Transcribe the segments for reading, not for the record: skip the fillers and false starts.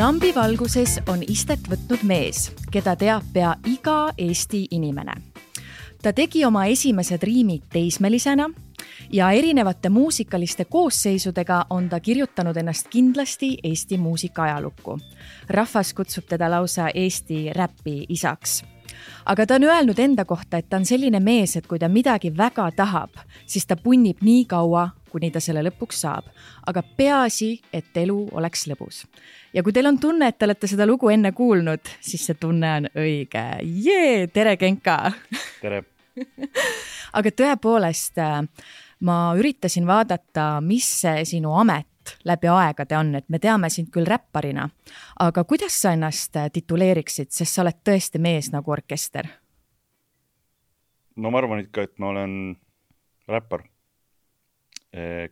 Trambi valguses on istet võtnud mees, keda teab pea iga Eesti inimene. Ta tegi oma esimesed riimid teismelisena ja erinevate muusikaliste koosseisudega on ta kirjutanud ennast kindlasti Eesti muusika ajalukku. Rahvas kutsub teda lausa Eesti räpi isaks. Aga ta on öelnud enda kohta, et ta on selline mees, et kui ta midagi väga tahab, siis ta punnib nii kaua, kuni ta selle lõpuks saab. Aga peaasi, et elu oleks lõbus. Ja kui teil on tunne, et te olete seda lugu enne kuulnud, siis see tunne on õige. Tere, Genka! Tere! Aga tõepoolest, ma üritasin vaadata, mis see sinu amet läbi aegade on, et me teame sind küll räpparina, aga kuidas sa ennast tituleeriksid, sest sa oled tõesti mees nagu orkester? No ma arvan ikka, et ma olen räppar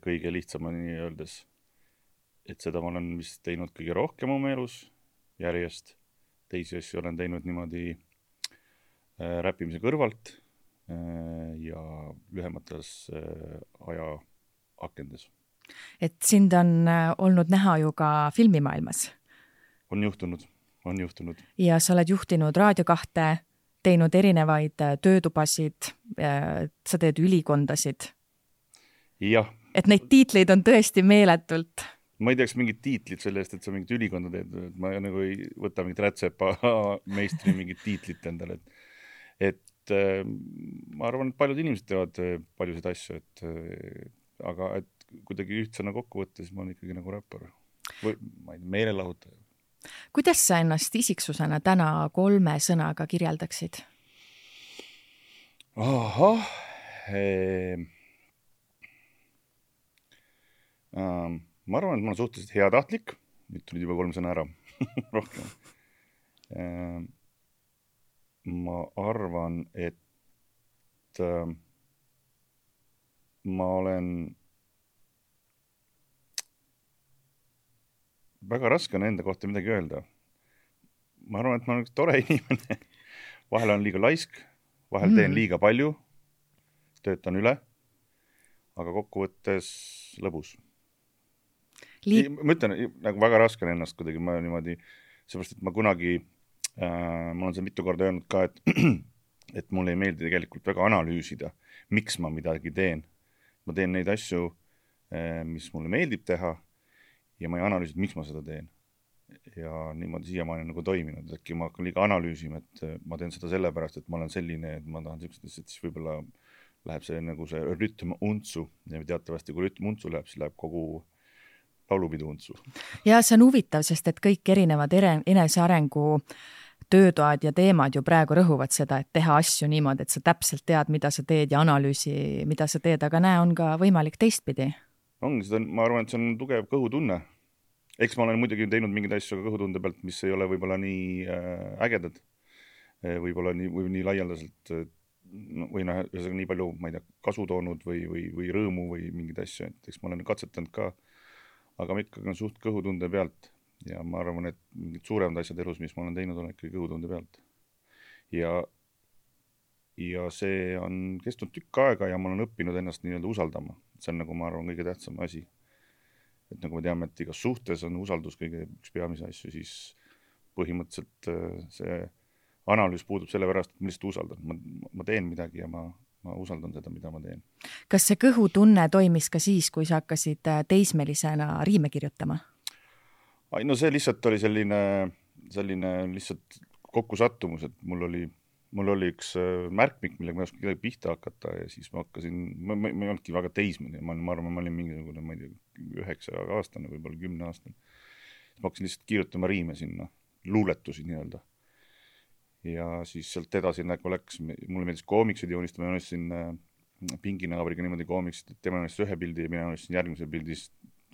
kõige lihtsamani öeldes. Et seda ma olen vist teinud kõige rohkem oma elus järjest. Teisi asju olen teinud niimoodi räppimise kõrvalt ja lühemates aja akendes. Et sind on olnud näha ju ka filmimaailmas. On juhtunud. Ja sa oled juhtinud Raadio 2, teinud erinevaid töötubasid, sa teed ülikondasid. Jah. Et neid tiitleid on tõesti meeletult. Ma ei teaks mingit tiitlit selle eest, et sa mingit ülikonda teed. Ma nagu ei võta mingit rätsepa meistri mingit tiitlit endale. Et ma arvan, et paljud inimesed teevad paljusid asju, aga et kuidagi ühtsena kokku võtta, siis ma olen ikkagi nagu räppar. Või ma ei tea, meelelahutaja. Kuidas sa ennast isiksusena täna 3 sõnaga kirjeldaksid? Ahah. Ma arvan, et ma olen suhteliselt heatahtlik. Nüüd tulid juba 3 sõna ära. Rohkem. Ma arvan, et ma olen väga raske on enda kohta midagi öelda. Ma arvan, et ma olen üks tore inimene. Vahel on liiga laisk, vahel teen liiga palju, töötan üle, aga kokkuvõttes lõbus. Ma ütlen, nagu väga raske on ennast kuidagi, ma niimoodi, seepärast, et ma kunagi, ma olen seda mitu korda öelnud ka, et mulle ei meeldi tegelikult väga analüüsida, miks ma midagi teen. Ma teen neid asju, mis mulle meeldib teha, ja ma ei analüüsi, miks ma seda teen. Ja niimoodi siiamaani nagu toiminud. Äkki ma hakkan liiga analüüsima, et ma teen seda sellepärast, et ma olen selline, et ma tahan sellised, et siis võib-olla läheb see nagu see rütm untsu. Ja teatavasti, kui rütm untsu läheb, siis läheb kogu laulupidu untsu. Ja see on huvitav, sest et kõik erinevad enesearengu töötoad ja teemad ju praegu rõhuvad seda, et teha asju niimoodi, et sa täpselt tead, mida sa teed ja analüüsi, mida sa teed, aga näe, on ka võimalik teistpidi. Ongi seda, ma arvan, et see on tugev kõhutunne. Eks ma olen muidugi teinud mingeid asju ka kõhutunde pealt, mis ei ole võib-olla nii ägedad, võib-olla nii laialdaselt või nii palju, ma ei tea, kasu toonud või rõõmu või mingeid asju, et eks ma olen katsetanud ka, aga ma ikkagi on suht kõhutunde pealt ja ma arvan, et mingid suuremad asjad elus, mis ma olen teinud, on ikkagi kõhutunde pealt. Ja see on kestnud tükk aega ja ma olen õppinud ennast nii-öelda usaldama. See on nagu, ma arvan, kõige tähtsam asi. Et nagu me teame, et igas suhtes on usaldus kõige üks peamise asju, siis põhimõtteliselt see analüüs puudub selle pärast, et ma lihtsalt usaldan. Ma teen midagi ja ma usaldan seda, mida ma teen. Kas see kõhutunne toimis ka siis, kui sa hakkasid teismelisena riime kirjutama? No see lihtsalt oli selline lihtsalt kokkusattumus, et mul oli üks märkmik, millega ma ei oska kedagi pihta hakata ja siis ma hakkasin, ma ei olnudki väga teismeline, ma arvan, ma olin mingisugune, ma ei tea, 9-aastane, võib-olla 10-aastane. Ma hakkasin lihtsalt kirjutama riime sinna, luuletusi nii-öelda. Ja siis sealt edasi nagu läks, mulle meeldis koomiksid joonistama, ma joonistasin pinginaabriga niimoodi koomiksid, et tema joonistasin ühe pildi ja mina joonistasin järgmise pildis,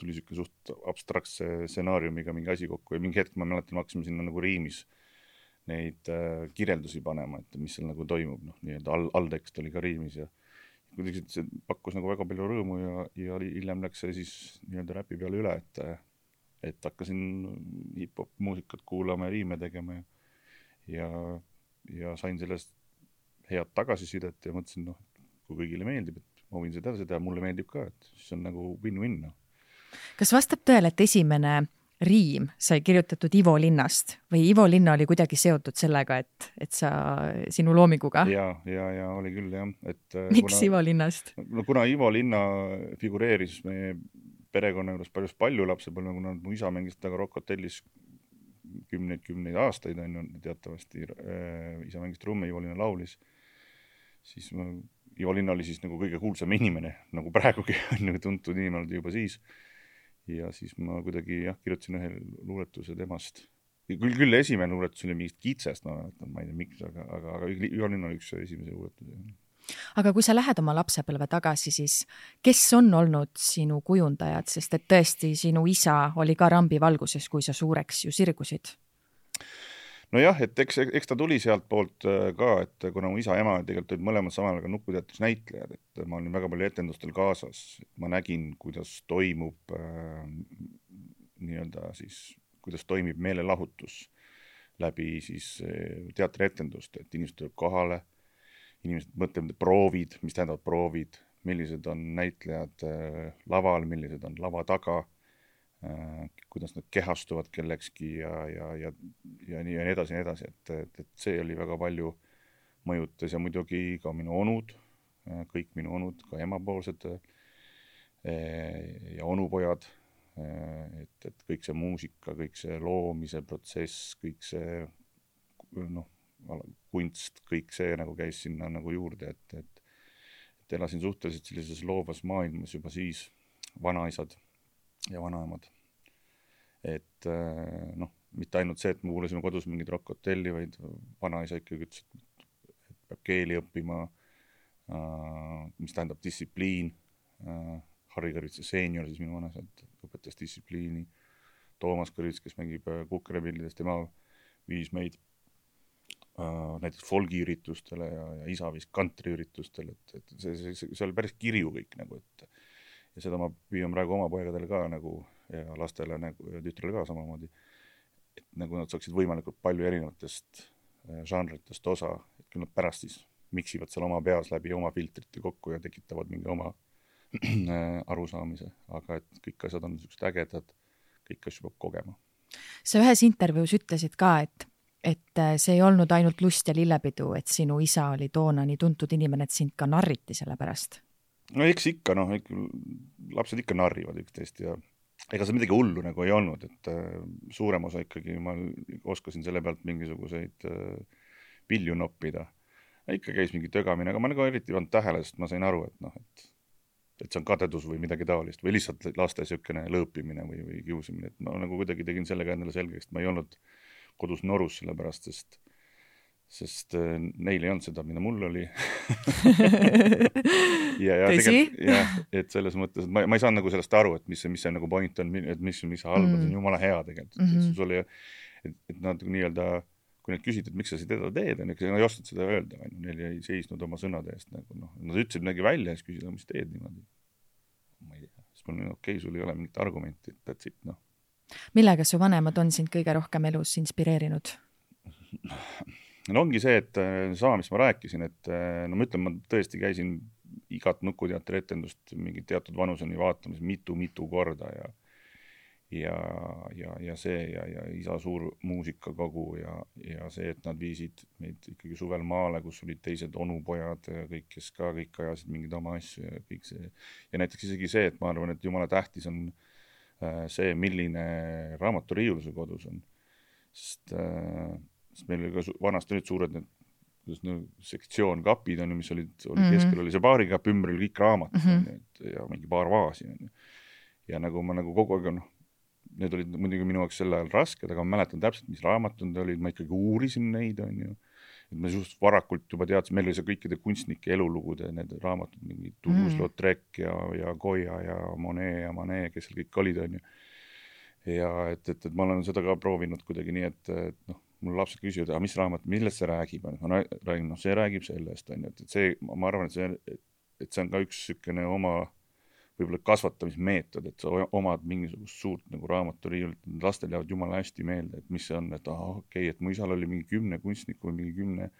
tuli siuke suht abstraktse stsenaariumiga mingi asi kokku ja mingi hetk ma mäletan, ma hakkasin sinna nagu riimis neid kirjeldusi panema, et mis seal nagu toimub, nii-öelda alltekst oli ka riimis ja kuidagi see pakkus nagu väga palju rõõmu ja hiljem läks see siis nii-öelda räpi peale üle, et hakkasin hip-hop muusikat kuulama ja riime tegema ja sain sellest head tagasisidet ja mõtlesin, kui kõigile meeldib, et ma võin seda teha, mulle meeldib ka, et siis on nagu win-win. Kas vastab tõele, et esimene riim sai kirjutatud Ivo Linnast või Ivo Linna oli kuidagi seotud sellega, et sinu loominguga? Ja oli küll jah. Miks Ivo Linnast? No kuna Ivo Linna figureeris meie perekonna juures päris palju lapsepõlve, kuna mu isa mängis taga Rock Hotellis kümneid aastaid, on teatavasti isa mängis trumme, Ivo Linna laulis, siis Ivo Linna oli siis nagu kõige kuulsam inimene, nagu praegugi on tuntud inimene juba siis. Ja siis ma kuidagi kirjutasin ühe luuletuse temast. Küll esimene luuletus oli mingist kitsest, ma ei tea miks, aga Ivo Linna oli üks esimese luuletus. Aga kui sa lähed oma lapsepõlve tagasi, siis kes on olnud sinu kujundajad, sest et tõesti sinu isa oli ka rambivalguses, kui sa suureks ju sirgusid? No jah, et eks ta tuli sealt poolt ka, et kuna mu isa ja ema tegelikult olid mõlemad samal ajal Nukuteatris näitlejad, et ma olin väga palju etendustel kaasas, ma nägin, kuidas toimub nii-öelda siis, kuidas toimib meelelahutus läbi siis teatrietendust, et inimesed tuleb kohale, inimesed mõtlevad proovid, mis tähendavad proovid, millised on näitlejad laval, millised on lava taga, kuidas nad kehastuvad kellekski ja nii edasi, et see oli väga palju mõjutas ja muidugi ka minu onud, kõik minu onud, ka emapoolsed ja onupojad, et kõik see muusika, kõik see loomise protsess, kõik see kunst, kõik see nagu käis sinna nagu juurde, et elasin suhteliselt sellises loovas maailmas juba siis vanaisad ja vanaemad. Et mitte ainult see, et me kuulasime kodus mingid Rock Hotelli, vaid vanaisa ikkagi ütles, et peab keeli õppima, mis tähendab distsipliin. Harri Kõrvitsa seenior, siis minu vanaisa õpetas distsipliini. Toomas Kõrvits, kes mängib Kukerepillidest, tema viis meid näiteks folgiüritustele ja isa viis kantriüritustele, et see oli päris kirju kõik nagu, ja seda ma püüan praegu oma poegadele ka nagu ja lastele nagu, ja tütrele ka samamoodi, et nagu nad saaksid võimalikult palju erinevatest žanritest osa, et kui nad pärast siis miksivad seal oma peas läbi oma filtrite kokku ja tekitavad mingi oma arusaamise, aga et kõik asjad on niisugused ägedad, kõik asju peab kogema. Sa ühes intervjuus ütlesid ka, et see ei olnud ainult lust ja lillepidu, et sinu isa oli toona nii tuntud inimene, et sind ka narriti selle pärast. No eks ikka, lapsed ikka narrivad üksteist ja ega see midagi hullu nagu ei olnud, et suurem osa ikkagi ma oskasin selle pealt mingisuguseid pilju noppida. Ikka käis mingi tögamine, aga ma nagu eriti ei olnud tähele, sest ma sain aru, et see on kadedus või midagi taolist või lihtsalt laste siukene lõõpimine või kiusimine, et ma nagu kuidagi tegin sellega endale selgeks, et ma ei olnud kodus norus selle pärast, sest neil ei olnud seda, mida mul oli. Tõsi? Et selles mõttes, et ma ei saanud nagu sellest aru, et mis see nagu point on, et mis halb, see on jumala hea tegelikult. Et nad nii-öelda, kui nad küsisid, et miks sa seda teed, nad ei ostnud seda öelda, neil ei seisnud oma sõnade eest. Nad ütlesid midagi välja ja siis küsisid, mis teed niimoodi. Ma ei tea, siis mul okei, sul ei ole mingit argumenti, et that's it, Millega su vanemad on sind kõige rohkem elus inspireerinud? No ongi see, et sama, mis ma rääkisin, et ma ütlen, ma tõesti käisin igat Nukuteatri etendust mingi teatud vanuseni vaatamas mitu korda ja see ja isa suur muusikakogu ja see, et nad viisid meid ikkagi suvel maale, kus olid teised onupojad ja kõik, kes ka kõik ajasid mingid oma asju ja kõik see. Ja näiteks isegi see, et ma arvan, et jumala tähtis on see, milline raamaturiiul su kodus on. Sest meil oli ka vanasti olid suured sektsioon kapid, mis oli keskel oli see baarikapp, ümber oli kõik raamat ja mingi paar vaasi. Ja nagu ma kogu aeg, need olid muidugi minu jaoks sel ajal rasked, aga ma mäletan täpselt, mis raamatud olid, ma ikkagi uurisin neid, et ma just varakult juba teadsin, meil oli see kõikide kunstnike elulugude, need raamatud, mingi Toulouse-Lautrec ja Goya ja Monet, kes seal kõik olid, ja et ma olen seda ka proovinud kuidagi nii, et mul lapsed küsivad, mis raamat, millest see räägib, ma räägin, see räägib sellest, et see, ma arvan, et see on ka üks sükene oma võib-olla kasvatamismeetod, et sa omad mingisugust suurt nagu raamaturiiulit, lastel jäävad jumala hästi meelde, et mis see on, et okei, et mu isal oli mingi 10 kunstniku või mingi 10,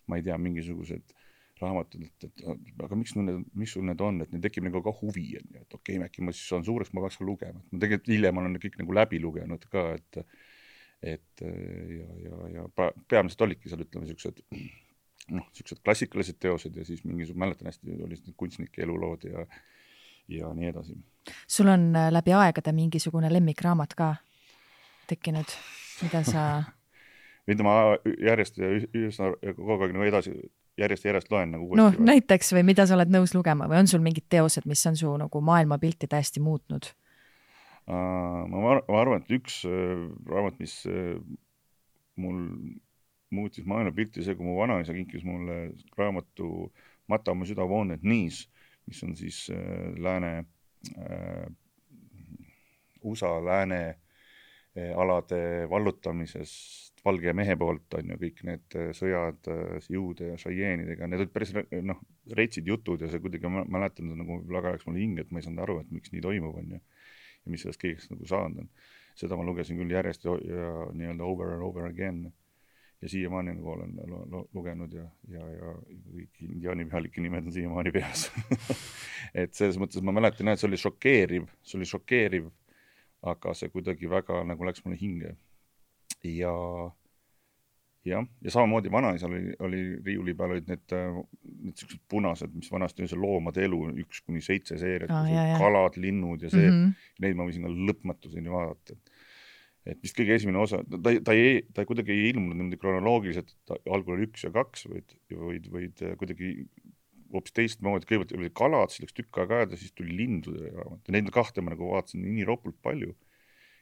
ma ei tea, mingisugused raamatud, et aga miks sul need on, et neil tekib nagu ka huvi, et okei, äkki ma siis saan suureks, ma peaks ka lugema. Ma tegelikult hiljem olen kõik nagu läbi lugenud ka, et ja peamiselt olidki seal, ütleme, siuksed klassikalised teosed ja siis mäletan hästi, olid kunstnike elulood ja nii edasi. Sul on läbi aegade mingisugune lemmikraamat ka tekkinud, mida sa... mida ma järjest kogu aeg nagu edasi järjest loen nagu uuesti. No näiteks või mida sa oled nõus lugema või on sul mingid teosed, mis on su nagu maailmapilti täiesti muutnud? Ma arvan, et üks raamat, mis mul muutis maailmapilti, see, kui mu vanaisa kinkis mulle raamatu Mata oma süda Wounded Knees, mis on siis USA lääne alade vallutamisest valge mehe poolt on ju kõik need sõjad juude ja šaieenidega, need olid päris reitsid jutud ja see kuidagi mäletan nagu väga ajaks mulle hinge, et ma ei saanud aru, et miks nii toimub on ju ja mis sellest kõigest nagu saanud on. Seda ma lugesin küll järjest ja nii-öelda over and over again ja siiamaani nagu olen lugenud ja kõik indiaani pealike nimed on siiamaani peas. Et selles mõttes ma mäletan, et see oli šokeeriv, aga see kuidagi väga nagu läks mulle hinge. Ja samamoodi vanaisal oli riiuli peal olid need sellised punased, mis vanasti oli see loomade elu 1-7 seeriat, kalad, linnud ja see, neid ma võisin ka lõpmatuseni vaadata. Et vist kõige esimene osa, ta ei kuidagi ei ilmunud niimoodi kronoloogiliselt, et algul oli 1 ja 2, vaid kuidagi hoopis teistmoodi, kõigepealt oli kalad, siis läks tükk aega aeda, siis tuli lindude raamat. Ja neid kahte ma nagu vaatasin nii ropult palju.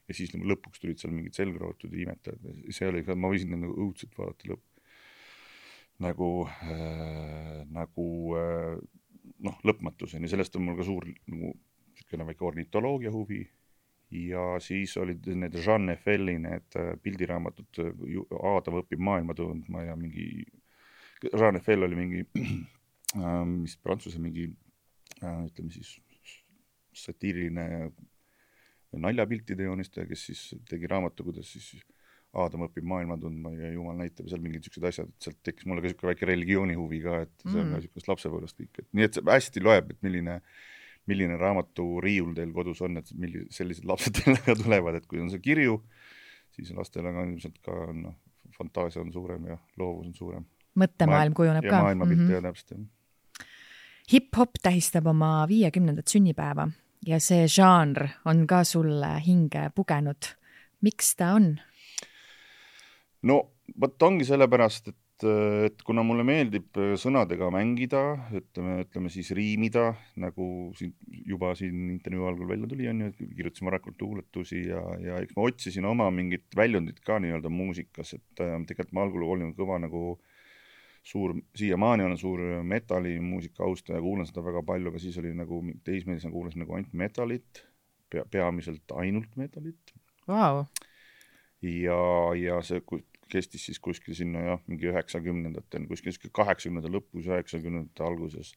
Ja siis nagu lõpuks tulid seal mingid selgrootud ja imetajad. See oli ka, ma võisin nagu õudselt vaadata lõpmatuseni. Sellest on mul ka suur nagu väike ornitoloogia huvi. Ja siis olid need Jean Effel'i need pildiraamatud Aadam õpib maailma tundma ja mingi Jean Effel oli mingi mis prantsuse mingi ütleme siis satiiriline naljapiltide joonistaja, kes siis tegi raamatu, kuidas siis Aadam õpib maailma tundma ja Jumal näitab seal mingid sellised asjad, et sealt tekkis mulle ka selline väike religiooni huvi ka, et see on ka sellisest lapsepõlvest kõik. Nii et see hästi loeb, et milline raamatu riiul teil kodus on, et sellised lapsed teile tulevad, et kui on see kirju, siis lastel on ilmselt ka fantaasia on suurem ja loovus on suurem. Mõttemaailm kujuneb ka. Ja maailmapilt ja täpselt. Hip-hop tähistab oma 50. sünnipäeva ja see žanr on ka sulle hinge pugenud. Miks ta on? No, võt ongi sellepärast, et kuna mulle meeldib sõnadega mängida, ütleme siis riimida, nagu juba siin intervjuu algul välja tuli, on ju, et kirjutasin varakult luuletusi ja eks ma otsisin oma mingit väljundit ka nii-öelda muusikas, et tegelikult ma algul olin kõva nagu siiamaani olen suur metallimuusika austaja, kuulan seda väga palju, aga siis oli nagu teismelisena kuulasin nagu ainult metalit, peamiselt ainult metalit. Wow. Ja see kestis siis kuskil sinna mingi 90-ndatel, kuskil 80-ndate lõpus, 90-ndate alguses.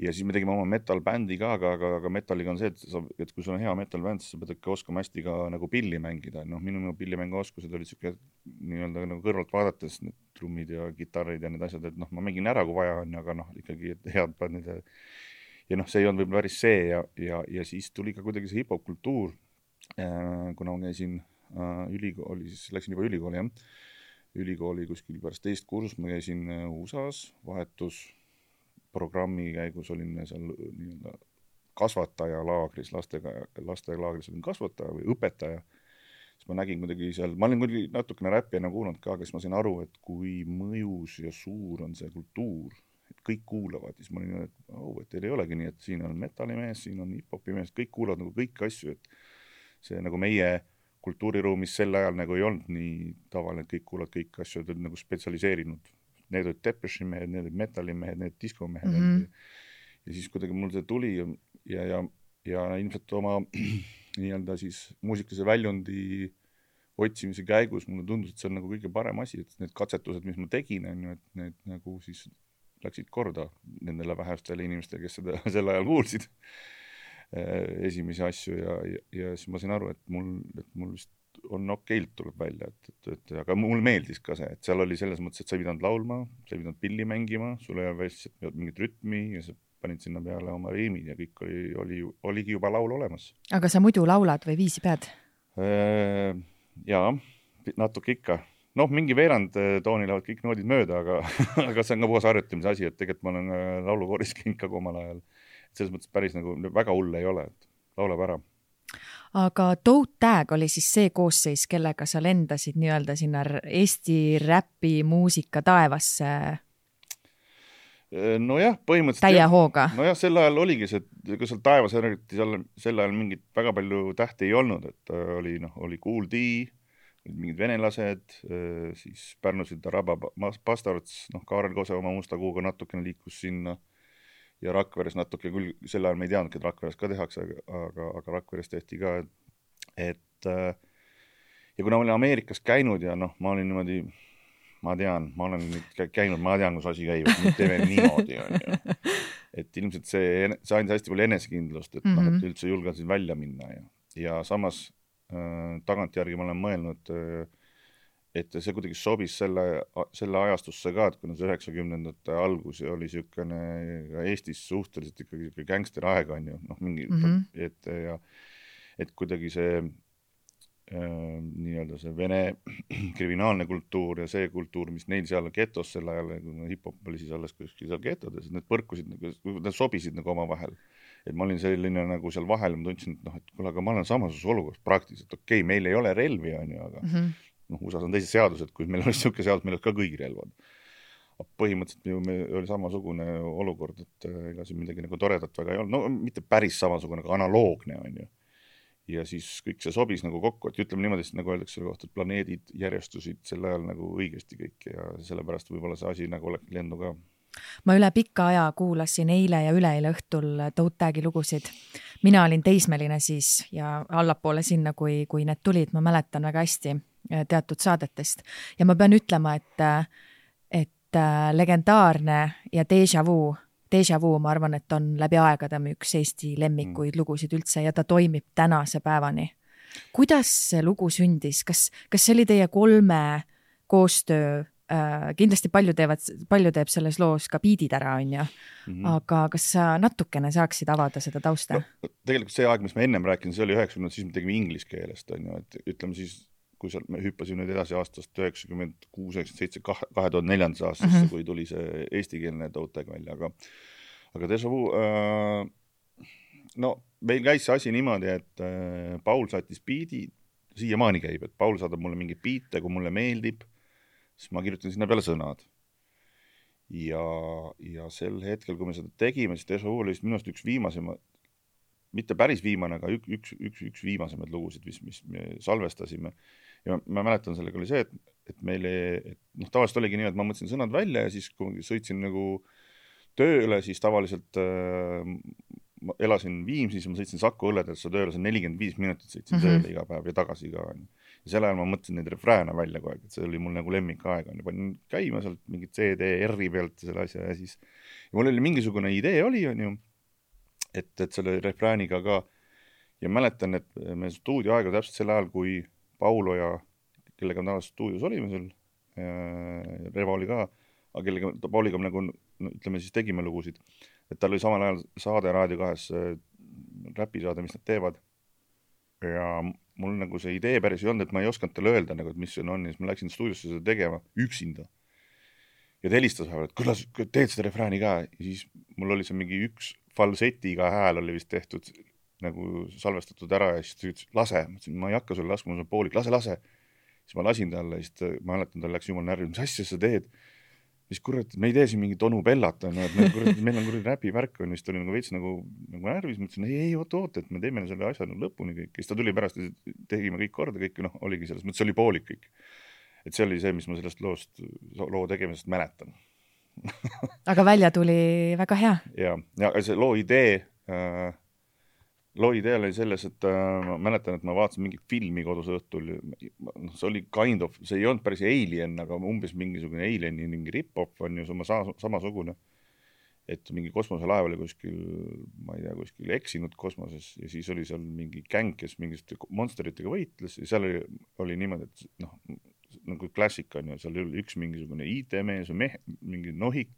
Ja siis me tegime oma metal-bändi ka, aga metalliga on see, et kui sul on hea metal-bänd, siis sa pead ikka oskama hästi ka nagu pilli mängida. Minu pillimängu oskused olid siuke nii-öelda nagu kõrvalt vaadates need trummid ja kitarrid ja need asjad, et ma mängin ära, kui vaja on, aga ikkagi head bändid. Ja see ei olnud võib-olla päris see ja siis tuli ka kuidagi see hip-hop kultuur, kuna ma käisin ülikooli, siis läksin juba ülikooli, ülikooli kuskil pärast teist kursust, ma käisin USA-s vahetusprogrammi käigus olin seal nii-öelda kasvatajalaagris, lastelaagris olin kasvataja või õpetaja, siis ma nägin kuidagi seal, ma olin kuidagi natukene räppijana kuulanud ka, aga siis ma sain aru, et kui mõjus ja suur on see kultuur, et kõik kuulavad, siis ma olin, et teil ei olegi nii, et siin on metallimees, siin on hip-hopi mees, kõik kuulavad nagu kõiki asju, et see nagu meie kultuuriruumis sel ajal nagu ei olnud nii tavaline, et kõik kuulavad kõiki asju, et olid nagu spetsialiseerinud. Need olid Depeche'i mehed, need olid metallimehed, need diskomehed. Ja siis kuidagi mul see tuli ja ilmselt oma nii-öelda siis muusikalise väljundi otsimise käigus mulle tundus, et see on nagu kõige parem asi, et need katsetused, mis ma tegin, et need nagu siis läksid korda nendele vähestele inimestele, kes seda sel ajal kuulsid esimesi asju ja siis ma sain aru, et mul vist on okeilt tuleb välja, aga mulle meeldis ka see, et seal oli selles mõttes, et sa ei pidanud laulma, sa ei pidanud pilli mängima, sul ei ole lihtsalt mingit rütmi ja sa panid sinna peale oma riimid ja kõik oligi juba laul olemas. Aga sa muidu laulad või viisi pead? Jaa, natuke ikka. Noh, mingi veerand tooni lähevad kõik noodid mööda, aga see on ka puhas harjutamise asi, et tegelikult ma olen laulukooris käinud ka omal ajal. Selles mõttes päris nagu väga hull ei ole, et laulab ära. Aga Toe Tag oli siis see koosseis, kellega sa lendasid nii-öelda sinna Eesti räpi muusika taevasse? Nojah, põhimõtteliselt täie hooga. Nojah, sel ajal oligi see, kui seal taevas eriti sel ajal mingit väga palju tähti ei olnud, et oli Kool D, mingid venelased, siis Pärnusid Araba Pastarts, Kaarel Kose oma Musta Kuuga natukene liikus sinna ja Rakveres natuke, küll sel ajal me ei teadnudki, et Rakveres ka tehakse, aga Rakveres tehti ka, et ja kuna ma olin Ameerikas käinud ja ma olin niimoodi, ma olen käinud, ma tean, kus asi käib, et nüüd teeme niimoodi, et ilmselt see andis hästi palju enesekindlust, et, et üldse julgesin välja minna ja samas tagantjärgi ma olen mõelnud, et see kuidagi sobis selle ajastusse ka, et kuna see 90ndate algus oli niisugune Eestis suhteliselt ikkagi gängster aeg on ju, mingi, et kuidagi see nii-öelda see vene kriminaalne kultuur ja see kultuur, mis neil seal getos sel ajal, hip-hop oli siis alles kuskil seal getodes, need põrkusid, need sobisid nagu oma vahel. Et ma olin selline nagu seal vahel, ma tundsin, et kuule, aga ma olen samasus olukorras praktiliselt, okei, meil ei ole relvi, on ju, aga USA on teised seadused, kui meil oli niisugune seadus, meil olid ka kõigi relvad. Põhimõtteliselt oli samasugune olukord, et ega siin midagi nagu toredat väga ei olnud, no mitte päris samasugune, aga analoogne, on ju. Ja siis kõik see sobis nagu kokku, et ütleme niimoodi, nagu öeldakse selle kohta, et planeedid järjestusid sel ajal nagu õigesti kõik ja sellepärast võib-olla see asi nagu oleks lendu ka. Ma üle pikka aja kuulasin eile ja üleeile õhtul Toe Tagi lugusid. Mina olin teismeline siis ja allapoole sinna, kui need tulid, ma mäletan väga hästi teatud saadetest. Ja ma pean ütlema, et legendaarne ja Deja Vu, ma arvan, et on läbi aegade üks Eesti lemmikuid lugusid üldse ja ta toimib tänase päevani. Kuidas see lugu sündis? Kas see oli teie 3 koostöö? Kindlasti palju teeb selles loos ka biidid ära, on ju. Aga kas sa natukene saaksid avada seda tausta? No, tegelikult see aeg, mis me ennem rääkinud, see oli 90, siis me tegime inglise keelest, on ju, et ütleme siis, kui me hüppasime nüüd edasi aastast 96, 97, 2004 aastasse, kui tuli see eestikeelne Toe Tag välja, aga Deja Vu, no meil käis see asi niimoodi, et Paul saatis biidi, siiamaani käib, et Paul saadab mulle mingi biite, kui mulle meeldib, siis ma kirjutan sinna peale sõnad. Ja sel hetkel, kui me seda tegime, siis Deja Vu oli minust üks viimasema, mitte päris viimane, aga üks viimasemaid lugusid, mis me salvestasime. Ja ma mäletan, sellega oli see, et meile, tavaliselt oligi nii, et ma mõtlesin sõnad välja ja siis, kui sõitsin nagu tööle, siis tavaliselt ma elasin Viimsis, ma sõitsin Saku õlledesse tööle, see 45 minutit sõitsin tööle iga päev ja tagasi ka. Ja selle ajal ma mõtlesin neid refrääne välja kogu aeg, et see oli mul nagu lemmikaeg. Panin käima sealt mingit CD, R-i pealt selle asja ja siis ja mul oli mingisugune idee oli, on ju, et selle refrääniga ka ja mäletan, et me stuudioaega täpselt selle ajal, kui Paulo ja kellega me tavaliselt stuudios olime seal, Reva oli ka, aga kellega Pauliga me nagu, ütleme siis tegime lugusid, et tal oli samal ajal saade Raadio 2 räpisaade, mis nad teevad ja mul nagu see idee päris ei olnud, et ma ei osanud talle öelda, nagu, et mis see on ja siis ma läksin stuudiosse seda tegema üksinda ja ta helistas, et kuidas teed seda refrääni ka ja siis mul oli see mingi üks falsetiga hääl oli vist tehtud nagu salvestatud ära ja siis ta ütles, lase, ma ei hakka sulle laskma, ma olen poolik, lase. Siis ma lasin talle ja siis ma mäletan, tal läks jumal närvi, mis asja sa teed? Mis kurat, me ei tee siin mingit onu Bellat, on, et meil on kuradi räpi värk, on, siis ta oli nagu veits nagu närvis, mõtlesin, ei, oot, et me teeme selle asja lõpuni kõik. Siis ta tuli pärast, tegime kõik korda, kõik oligi selles, mõttes oli poolik kõik. Et see oli see, mis ma sellest loo tegemisest mäletan. Aga välja tuli väga hea. Ja see loo idee oli selles, et ma mäletan, et ma vaatasin mingit filmi kodus õhtul, see oli kind of, see ei olnud päris Alien, aga umbes mingisugune Alieni mingi rip-off on ju samasugune. et mingi kosmoselaev oli kuskil, ma ei tea, kuskil eksinud kosmoses ja siis oli seal mingi gäng, kes mingiste monsteritega võitles ja seal oli niimoodi, et noh, nagu klassika on ju, seal oli üks mingisugune IT-mees või mingi nohik,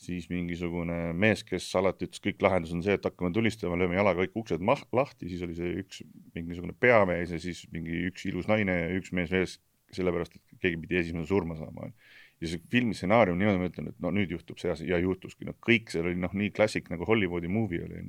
siis mingisugune mees, kes alati ütles, kõik lahendus on see, et hakkame tulistama, lööme jalaga kõik uksed lahti, siis oli see üks mingisugune peamees ja siis mingi üks ilus naine ja üks mees veel, sellepärast, et keegi pidi esimene surma saama. Ja see filmi stsenaarium niimoodi ma ütlen, et no nüüd juhtub see asi ja juhtuski. No, kõik see oli nii klassik nagu Hollywoodi movie oli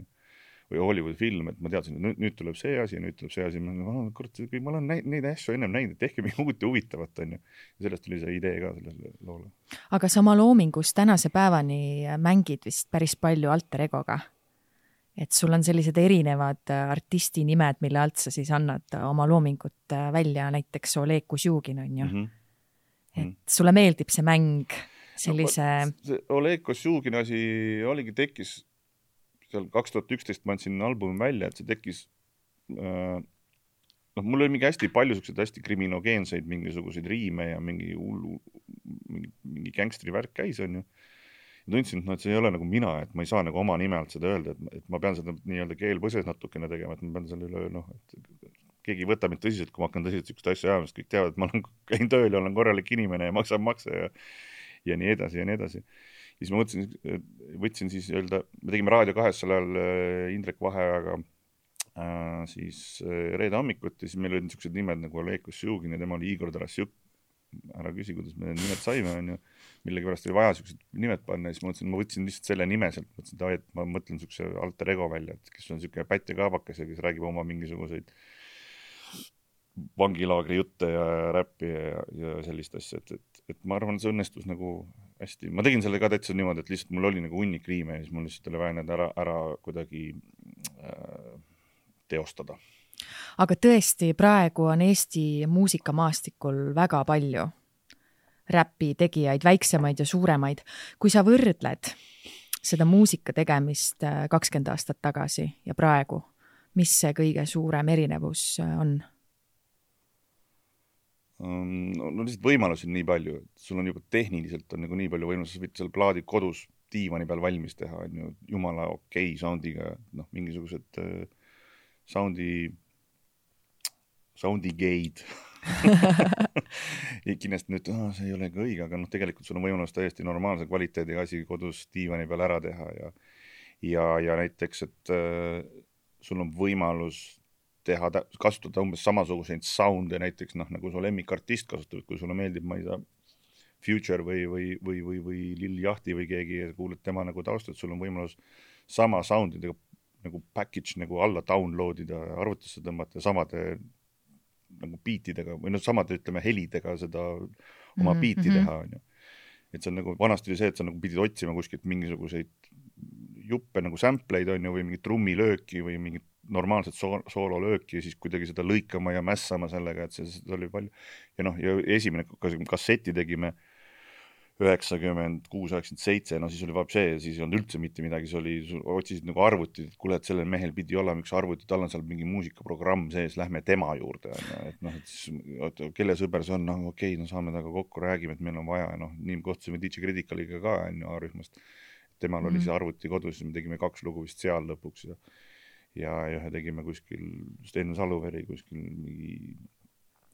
või Hollywoodi film, et ma teadsin, et nüüd tuleb see asi, nüüd tuleb see asi. Ma olen neid asju ennem näinud, et tehke mingi uut ja huvitavat on ju. Ja sellest tuli see idee ka sellele loole. Aga sa oma loomingus tänase päevani mängid vist päris palju alter egoga. Et sul on sellised erinevad artisti nimed, mille alt sa siis annad oma loomingut välja, näiteks Oleg Kosjugin on ju. Et sulle meeldib see mäng sellise... No, Oleg Kosjugin asi oligi tekkis seal 2011 ma andsin albumi välja, et see tekkis mul oli mingi hästi palju hästi kriminogeenseid mingisuguseid riime ja mingi gangstri värk käis on ju. Ja tundsin, et see ei ole nagu mina, et ma ei saa nagu oma nime alt seda öelda, et ma pean seda nii-öelda keelpõses natukene tegema, et ma pean selle üle, et keegi võtab mind tõsiselt, kui ma hakkan tõsiselt sükst asja ajama, sest kõik teavad, et ma käin tööl ja olen korralik inimene ja maksan makse ja nii edasi ja nii edasi. Siis ma võtsin siis öelda, me tegime Raadio 2 sel ajal Indrek Vaheajaga siis reede hommikut ja siis meil olid niisugused nimed nagu Oleg Kosjugin ja tema oli Igor Tarassjuk. Ära küsi, kuidas me nimed saime, on ju. Millegi pärast oli vaja niisugused nimed panna ja siis ma võtsin lihtsalt selle nime sealt, mõtlesin, et ma mõtlen niisuguse alter ego välja, et kes on niisugune Pätt ja Kaabakas ja kes räägib oma mingisuguseid vangilaagri jutte ja räppi ja sellist asja, et ma arvan, see õnnestus nagu hästi. Ma tegin selle ka täitsa niimoodi, et lihtsalt mul oli nagu hunnik riime ja siis mul lihtsalt oli vaja need ära kuidagi teostada. Aga tõesti, praegu on Eesti muusikamaastikul väga palju räppi tegijaid, väiksemaid ja suuremaid. Kui sa võrdled seda muusika tegemist 20 aastat tagasi ja praegu, mis see kõige suurem erinevus on? No lihtsalt võimalusi on nii palju, et sul on juba tehniliselt on nagu nii palju võimalusi, sa võid seal plaadi kodus diivani peal valmis teha, on ju, jumala okei soundiga, mingisugused soundigeid. Ja kindlasti nüüd, see ei ole ka õige, aga tegelikult sul on võimalus täiesti normaalse kvaliteediga asi kodus diivani peal ära teha ja näiteks, et sul on võimalus kasutada umbes samasuguseid sounde näiteks, nagu su lemmikartist kasutab, kui sulle meeldib, ma ei tea, Future või Lil Yachty või keegi ja kuuled tema nagu taustat, sul on võimalus sama soundidega nagu package nagu alla downloadida, arvutisse tõmmata samade nagu beatidega või samade, ütleme, helidega seda oma beati teha, on ju. Et see on nagu, vanasti oli see, et sa nagu pidid otsima kuskilt mingisuguseid juppe nagu sampleid, on ju, või mingit trummilööki või mingit normaalset soololööki ja siis kuidagi seda lõikama ja mässama sellega, et see oli palju. Ja ja esimene kasseti tegime 96, 97, siis oli vabsee, siis ei olnud üldse mitte midagi, otsisid nagu arvutid, et kuule, et sellel mehel pidi olema üks arvuti, tal on seal mingi muusikaprogramm sees, lähme tema juurde, et siis, kelle sõber see on, okei, saame taga kokku, räägime, et meil on vaja, nii kohtusime DJ Criticaliga ka A-rühmast, temal oli see arvuti kodus, siis me tegime 2 lugu vist seal lõpuks ja tegime kuskil Sten Saluveri kuskil mingi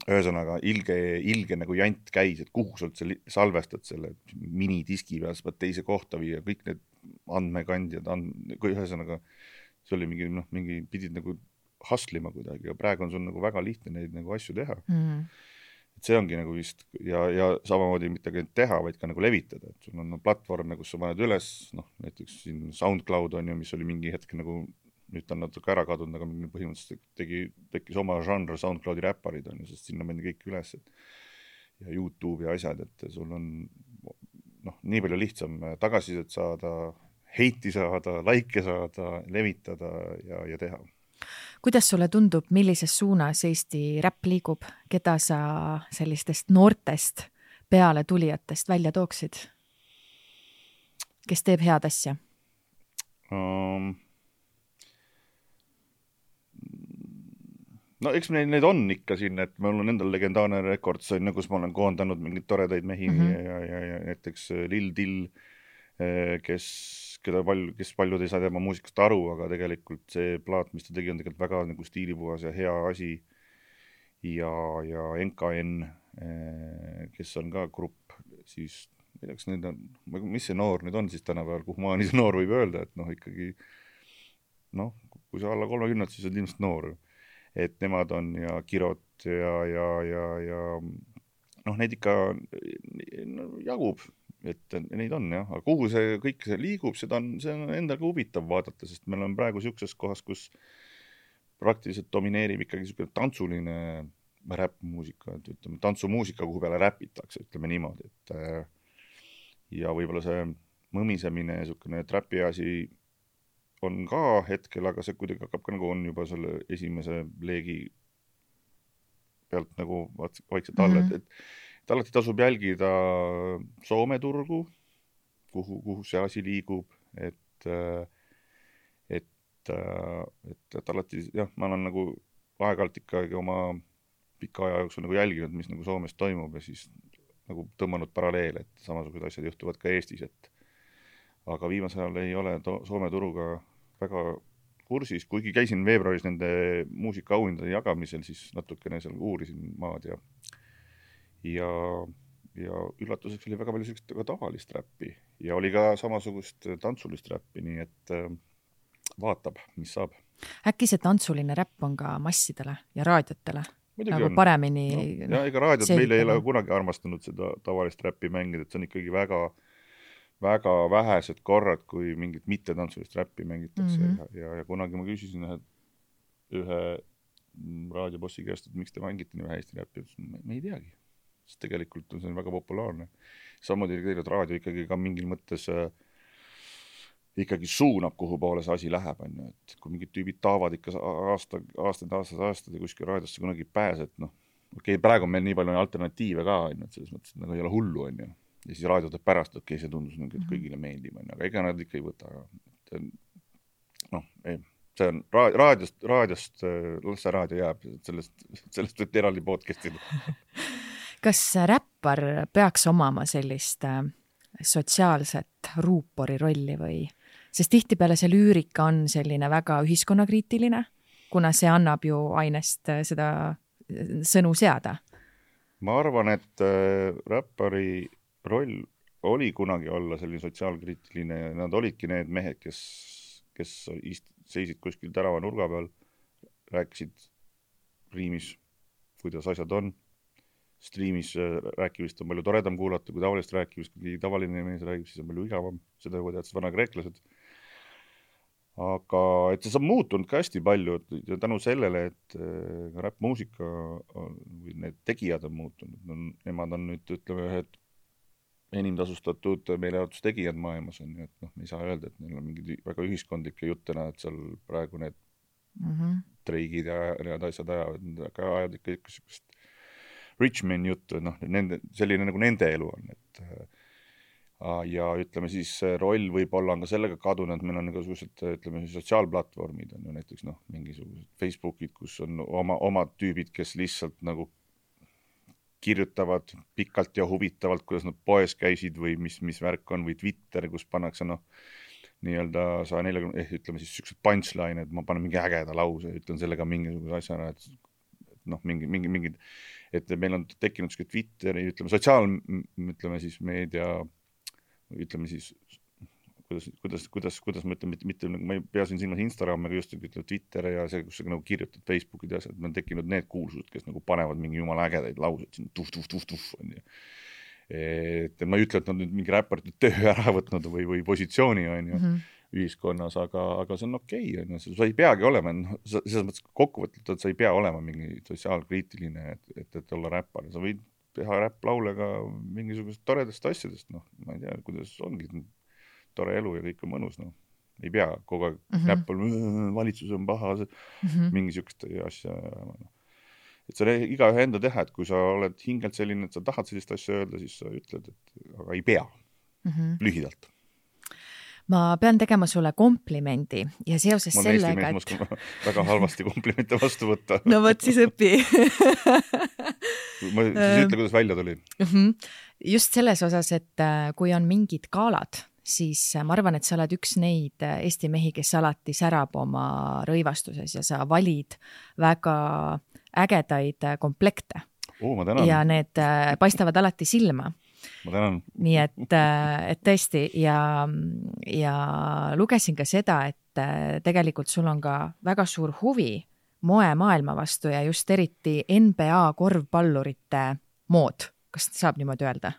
ühesõnaga ilge nagu jant käis, et kuhu sa üldse salvestad selle minidiski peal, sa pead teise kohta viia, kõik need andmekandjad, ühesõnaga see oli mingi pidid nagu hustlima kuidagi ja praegu on sul nagu väga lihtne neid nagu asju teha. Et see ongi nagu vist ja samamoodi mitte teha, vaid ka nagu levitada, et sul on platvorm, kus sa paned üles, näiteks siin SoundCloud on ju, mis oli mingi hetk nagu nüüd ta on natuke ära kadunud, aga põhimõtteliselt tekkis oma žanr SoundCloudi räpparid, on ju, sest sinna mendi kõik üles ja YouTube ja asjad, et sul on nii palju lihtsam tagasisidet saada, heiti saada, laike saada, levitada ja teha. Kuidas sulle tundub, millises suunas Eesti räpp liigub, keda sa sellistest noortest peale tulijatest välja tooksid? Kes teeb head asja? Eks need on ikka siin, et mul on endal legendaarne rekord, kus ma olen koondanud mingid toredaid mehi ja näiteks Lil Dill, kes paljud ei saa tema muusikast aru, aga tegelikult see plaat, mis ta tegi, on tegelikult väga nagu stiilipuhas ja hea asi. Ja NKN, kes on ka grupp, siis mis see noor nüüd on siis tänapäeval, kuhu maani see noor võib öelda, et ikkagi kui sa alla 30, siis on ilmselt noor. Et nemad on ja Kirot ja neid ikka jagub, et neid on jah, aga kuhu see kõik liigub, see on endaga huvitav vaadata, sest meil on praegu siukses kohas, kus praktiliselt domineerib ikkagi tantsuline räppmuusika, et ütleme tantsumuusika, kuhu peale räpitakse, ütleme niimoodi, et ja võib-olla see mõmisemine, niisugune trapi asi on ka hetkel, aga see kuidagi hakkab ka nagu on juba selle esimese leegi pealt nagu vaikselt alla, et alati tasub jälgida Soome turgu, kuhu see asi liigub, et alati, jah, ma olen nagu aeg-alt ikkagi oma pika aja jooksul nagu jälginud, mis nagu Soomes toimub ja siis nagu tõmmanud paralleele, et samasugused asjad juhtuvad ka Eestis, aga viimasel ajal ei ole Soome turuga väga kursis, kuigi käisin veebruaris nende muusikaauhindade jagamisel, siis natukene seal uurisin maad ja üllatuseks oli väga palju sellist ka tavalist räppi ja oli ka samasugust tantsulist räppi, nii et vaatab, mis saab. Äkki see tantsuline räpp on ka massidele ja raadiotele? Muidugi nagu on. Paremini ja ega raadiot meil ei ole kunagi armastanud seda tavalist räppi mängida, et see on ikkagi väga vähesed korrad, kui mingit mittetantsulist räppi mängitakse ja kunagi ma küsisin ühe raadiobossi käest, et miks te mängite nii vähe Eesti räppi, me ei teagi, sest tegelikult on see väga populaarne. Samuti tegelikult raadio ikkagi ka mingil mõttes ikkagi suunab, kuhu poole see asi läheb, et kui mingid tüübid taavad ikka aastaid ja kuskil raadiosse kunagi pääse, et praegu on meil nii palju alternatiive ka, et selles mõttes nagu ei ole hullu, ja siis raadio teeb pärast, et see tundus, et kõigile meeldib, aga ega nad ikka ei võta. See on raadiost, las see raadio jääb, sellest võib eraldi podcastida. Kas räppar peaks omama sellist sotsiaalset ruupori rolli või? Sest tihtipeale see lüürika on selline väga ühiskonnakriitiline, kuna see annab ju ainest seda sõnu seada. Ma arvan, et räppari roll oli kunagi olla selline sotsiaalkriitiline ja nad olidki need mehed, kes seisid kuskil tärava nurga peal, rääkisid riimis, kuidas asjad on. Striimis rääkivist on palju toredam kuulata, kui tavalist rääkivist, kui tavaline mees räägib, siis on palju igavam, seda juba teadsid vana kreeklased. Aga et see on muutunud ka hästi palju ja tänu sellele, et räppmuusika või need tegijad on muutunud. Nemad on nüüd, ütleme, ühed enim tasustatud meelejaotustegijad maailmas on, et me ei saa öelda, et neil on mingid väga ühiskondlikke juttena, et seal praegu need treigid ja need asjad ajavad ikka sellist Richmond juttu, selline nagu nende elu on, et ja ütleme siis roll võib-olla on ka sellega kadunud, et meil on igasugused, ütleme, sotsiaalplatvormid on ju näiteks mingisugused Facebookid, kus on omad tüübid, kes lihtsalt nagu kirjutavad pikalt ja huvitavalt, kuidas nad poes käisid või mis värk on, või Twitter, kus pannakse nii-öelda 140, ütleme siis sellised punchline, et ma panen mingi ägeda lause, ütlen sellega mingisuguse asjana, et mingid, et meil on tekkinud selline Twitteri, ütleme siis meedia, ütleme siis, kuidas ma ütlen, mitte, ma ei pea siin silmas Instagram, aga just ütleme Twitter ja see, kus sa nagu kirjutad Facebookid ja asjad, on tekkinud need kuulsused, kes nagu panevad mingi jumala ägedaid lauseid siin tuff, on ju. Et ma ei ütle, et nad nüüd mingi räpparite töö ära võtnud või positsiooni on ju ühiskonnas, aga see on okei, on ju, sa ei peagi olema, selles mõttes kokkuvõtlikult, et sa ei pea olema mingi sotsiaalkriitiline, et olla räppar, sa võid teha räpplaule ka mingisugusest toredast asjadest, ma ei tea, kuidas ongi tore elu ja kõik on mõnus, ei pea kogu aeg räppal, valitsus on paha, mingisugust asja, et see on igaühe enda teha, et kui sa oled hingelt selline, et sa tahad sellist asja öelda, siis sa ütled, aga ei pea, lühidalt. Ma pean tegema sulle komplimendi ja seoses sellega, et... Ma oskan väga halvasti komplimente vastu võtta. No võt siis õpi. Siis ütle, kuidas välja tuli. Just selles osas, et kui on mingid galad, siis ma arvan, et sa oled üks neid Eesti mehi, kes alati särab oma rõivastuses ja sa valid väga ägedaid komplekte. Ma tänan. Ja need paistavad alati silma. Ma tänan. Nii et tõesti ja lugesin ka seda, et tegelikult sul on ka väga suur huvi moemaailma vastu ja just eriti NBA korvpallurite mood. Kas saab niimoodi öelda?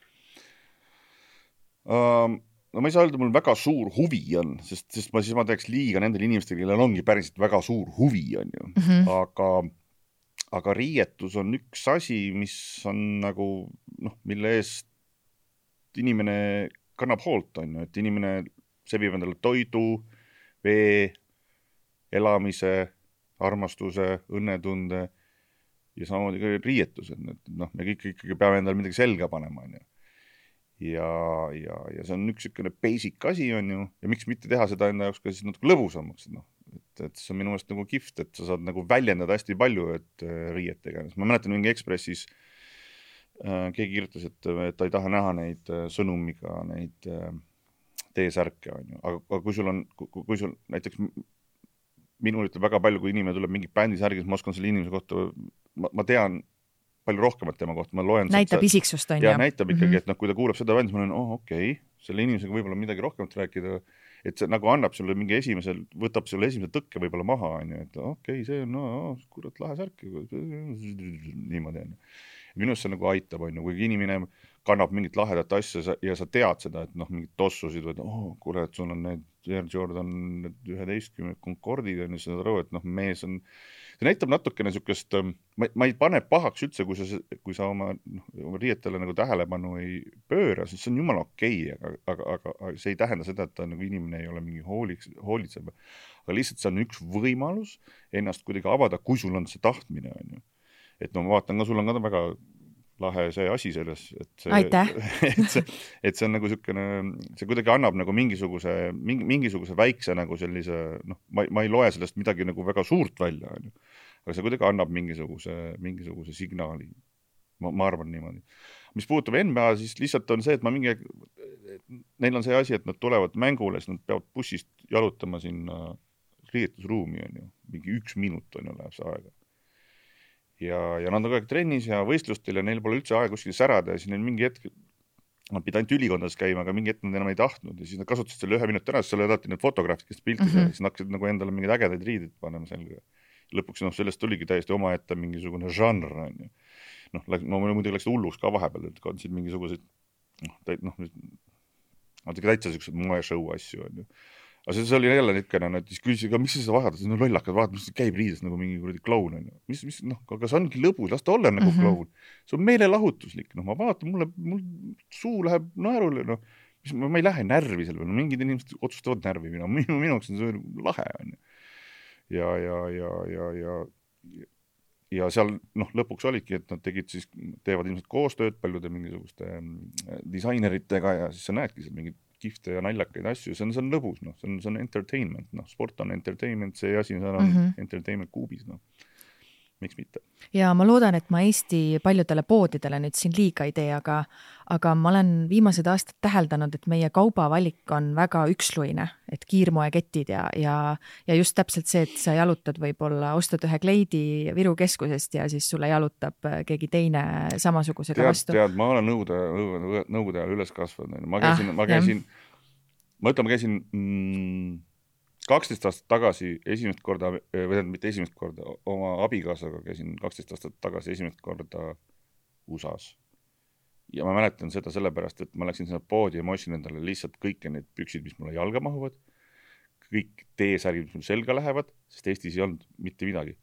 No ma ei saa öelda, mul väga suur huvi on, sest ma teeks liiga nendel inimestele, kellel ongi päriselt väga suur huvi on ju. Aga riietus on üks asi, mis on nagu, mille eest inimene kannab hoolt on ju, et inimene sebib endale toidu, vee, elamise, armastuse, õnnetunde ja samamoodi ka riietus, et me kõik ikkagi peame endale midagi selga panema on ju. Ja see on üks selline basic asi on ju, ja miks mitte teha seda enda jaoks ka siis natuke lõbusamaks, et see on minu meelest nagu kihvt, et sa saad nagu väljendada hästi palju, et riietega. Ma mäletan mingi Ekspressis keegi kirjutas, et ta ei taha näha neid sõnumiga, neid T-särke on ju, aga kui sul näiteks minul ütleb väga palju, kui inimene tuleb mingi bändisärgis, ma oskan selle inimese kohta, ma tean palju rohkemat tema kohta, ma loen näitab isiksust on ja näitab ikkagi, et kui ta kuulab seda bändi, ma olen, okei, selle inimesega võib-olla midagi rohkemat rääkida, et see nagu annab sulle mingi võtab sulle esimese tõkke võib-olla maha, on ju, et okei, see on, kurat, lahe särk, niimoodi on. Minust see nagu aitab, on ju, kui inimene kannab mingit lahedat asja ja sa tead seda, et mingit tossusid, või kuule, et sul on need Air Jordan 11 Concordid, on ju, sa aru, et mees on, see näitab natukene sükest, ma ei pane pahaks üldse, kui sa oma riietele nagu tähelepanu ei pööra, siis see on jumala okei, aga see ei tähenda seda, et ta nagu inimene ei ole mingi hoolitseb. Aga lihtsalt see on üks võimalus ennast kuidagi avada, kui sul on see tahtmine, on ju. Et ma vaatan ka, sul on ka väga lahe see asi selles, et see on nagu sükene, see kuidagi annab nagu mingisuguse väikse nagu sellise, ma ei loe sellest midagi nagu väga suurt välja, on ju. Aga see kuidagi annab mingisuguse signaali. Ma arvan niimoodi. Mis puutub NBA, siis lihtsalt on see, et neil on see asi, et nad tulevad mängule, siis nad peavad bussist jalutama sinna riietusruumi, on ju. Mingi 1 minut on ju läheb see aega. Ja nad on kogu aeg trennis ja võistlustel ja neil pole üldse aega kuskil särada ja siis neil mingi hetk, nad pidid ainult ülikondas käima, aga mingi hetk nad enam ei tahtnud ja siis nad kasutasid selle 1 minut ära, siis seal olid need fotograafid, kes piltis ja siis nad hakkasid nagu endale mingeid ägedaid riidid panema selga. Lõpuks sellest tuligi täiesti omaette mingisugune žanr, on ju. Ma muidugi läksid hulluks ka vahepeal, et kandsid mingisuguseid, täitsa sellised moeshow asju, on ju. Aga see oli jälle nitkene, siis küsisid, miks sa vaatad, lollakad, vaatad, mis käib riides nagu mingi kuradi kloun, on ju. Aga see ongi lõbus, las ta olla nagu kloun. See on meelelahutuslik, ma vaatan, mul suu läheb naerule, ma ei lähe närvi selle peale, mingid inimesed otsustavad närvi, minuks on see lahe, on ju. Ja seal lõpuks olidki, et nad teevad ilmselt koostööd paljude mingisuguste disaineritega ja siis sa näedki seal mingid kihvte ja naljakaid asju, see on lõbus, see on entertainment, sport on entertainment, see asi on entertainment kuubis, miks mitte. Ja ma loodan, et ma Eesti paljudele poodidele nüüd siin liiga ei tee, aga ma olen viimased aastad täheldanud, et meie kaubavalik on väga üksluine, et kiirmoeketid ja just täpselt see, et sa jalutad võib-olla, ostad ühe kleidi Viru keskusest ja siis sulle jalutab keegi teine samasugusega vastu. Tead, ma olen nõukogude ajal üles kasvanud. Ma käisin 12 aastat tagasi esimest korda, või mitte esimest korda, oma abikaasaga käisin 12 aastat tagasi esimest korda USA-s. Ja ma mäletan seda sellepärast, et ma läksin sinna poodi ja ma ostsin endale lihtsalt kõiki need püksid, mis mulle jalga mahuvad, kõik T-särgid, mis mul selga lähevad, sest Eestis ei olnud mitte midagi.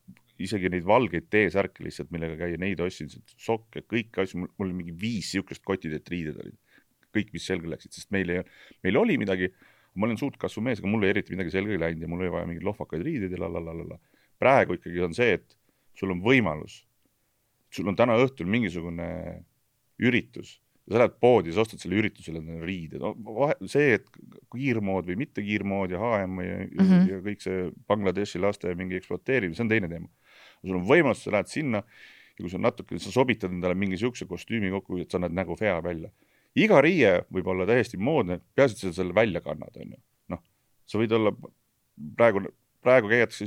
Isegi neid valgeid T-särke lihtsalt, millega käia, neid ostsin, sokke, kõik asju, mul oli mingi 5 siukest kotid, et riided olid. Kõik, mis selga läksid, sest meil oli midagi, ma olen suurt kasvu mees, aga mul ei eriti midagi selga ei läinud ja mul ei vaja mingid lohvakaid riided ja lalalala. Praegu ikkagi on see, et sul on võimalus. Sul on täna õhtul mingisugune üritus. Sa lähed poodi, sa ostad selle üritusele riided. See, et kiirmood või mitte kiirmood ja HM ja kõik see Bangladeshi laste mingi ekspluateerimine, see on teine teema. Sul on võimalus, sa lähed sinna ja kui sa natuke, sa sobitad endale mingi siukse kostüümi kokku, et sa näed nägu fea välja. iga riie võib olla täiesti moodne, peaasi, et sa selle välja kannad, on ju. Noh, sa võid olla praegu käiakse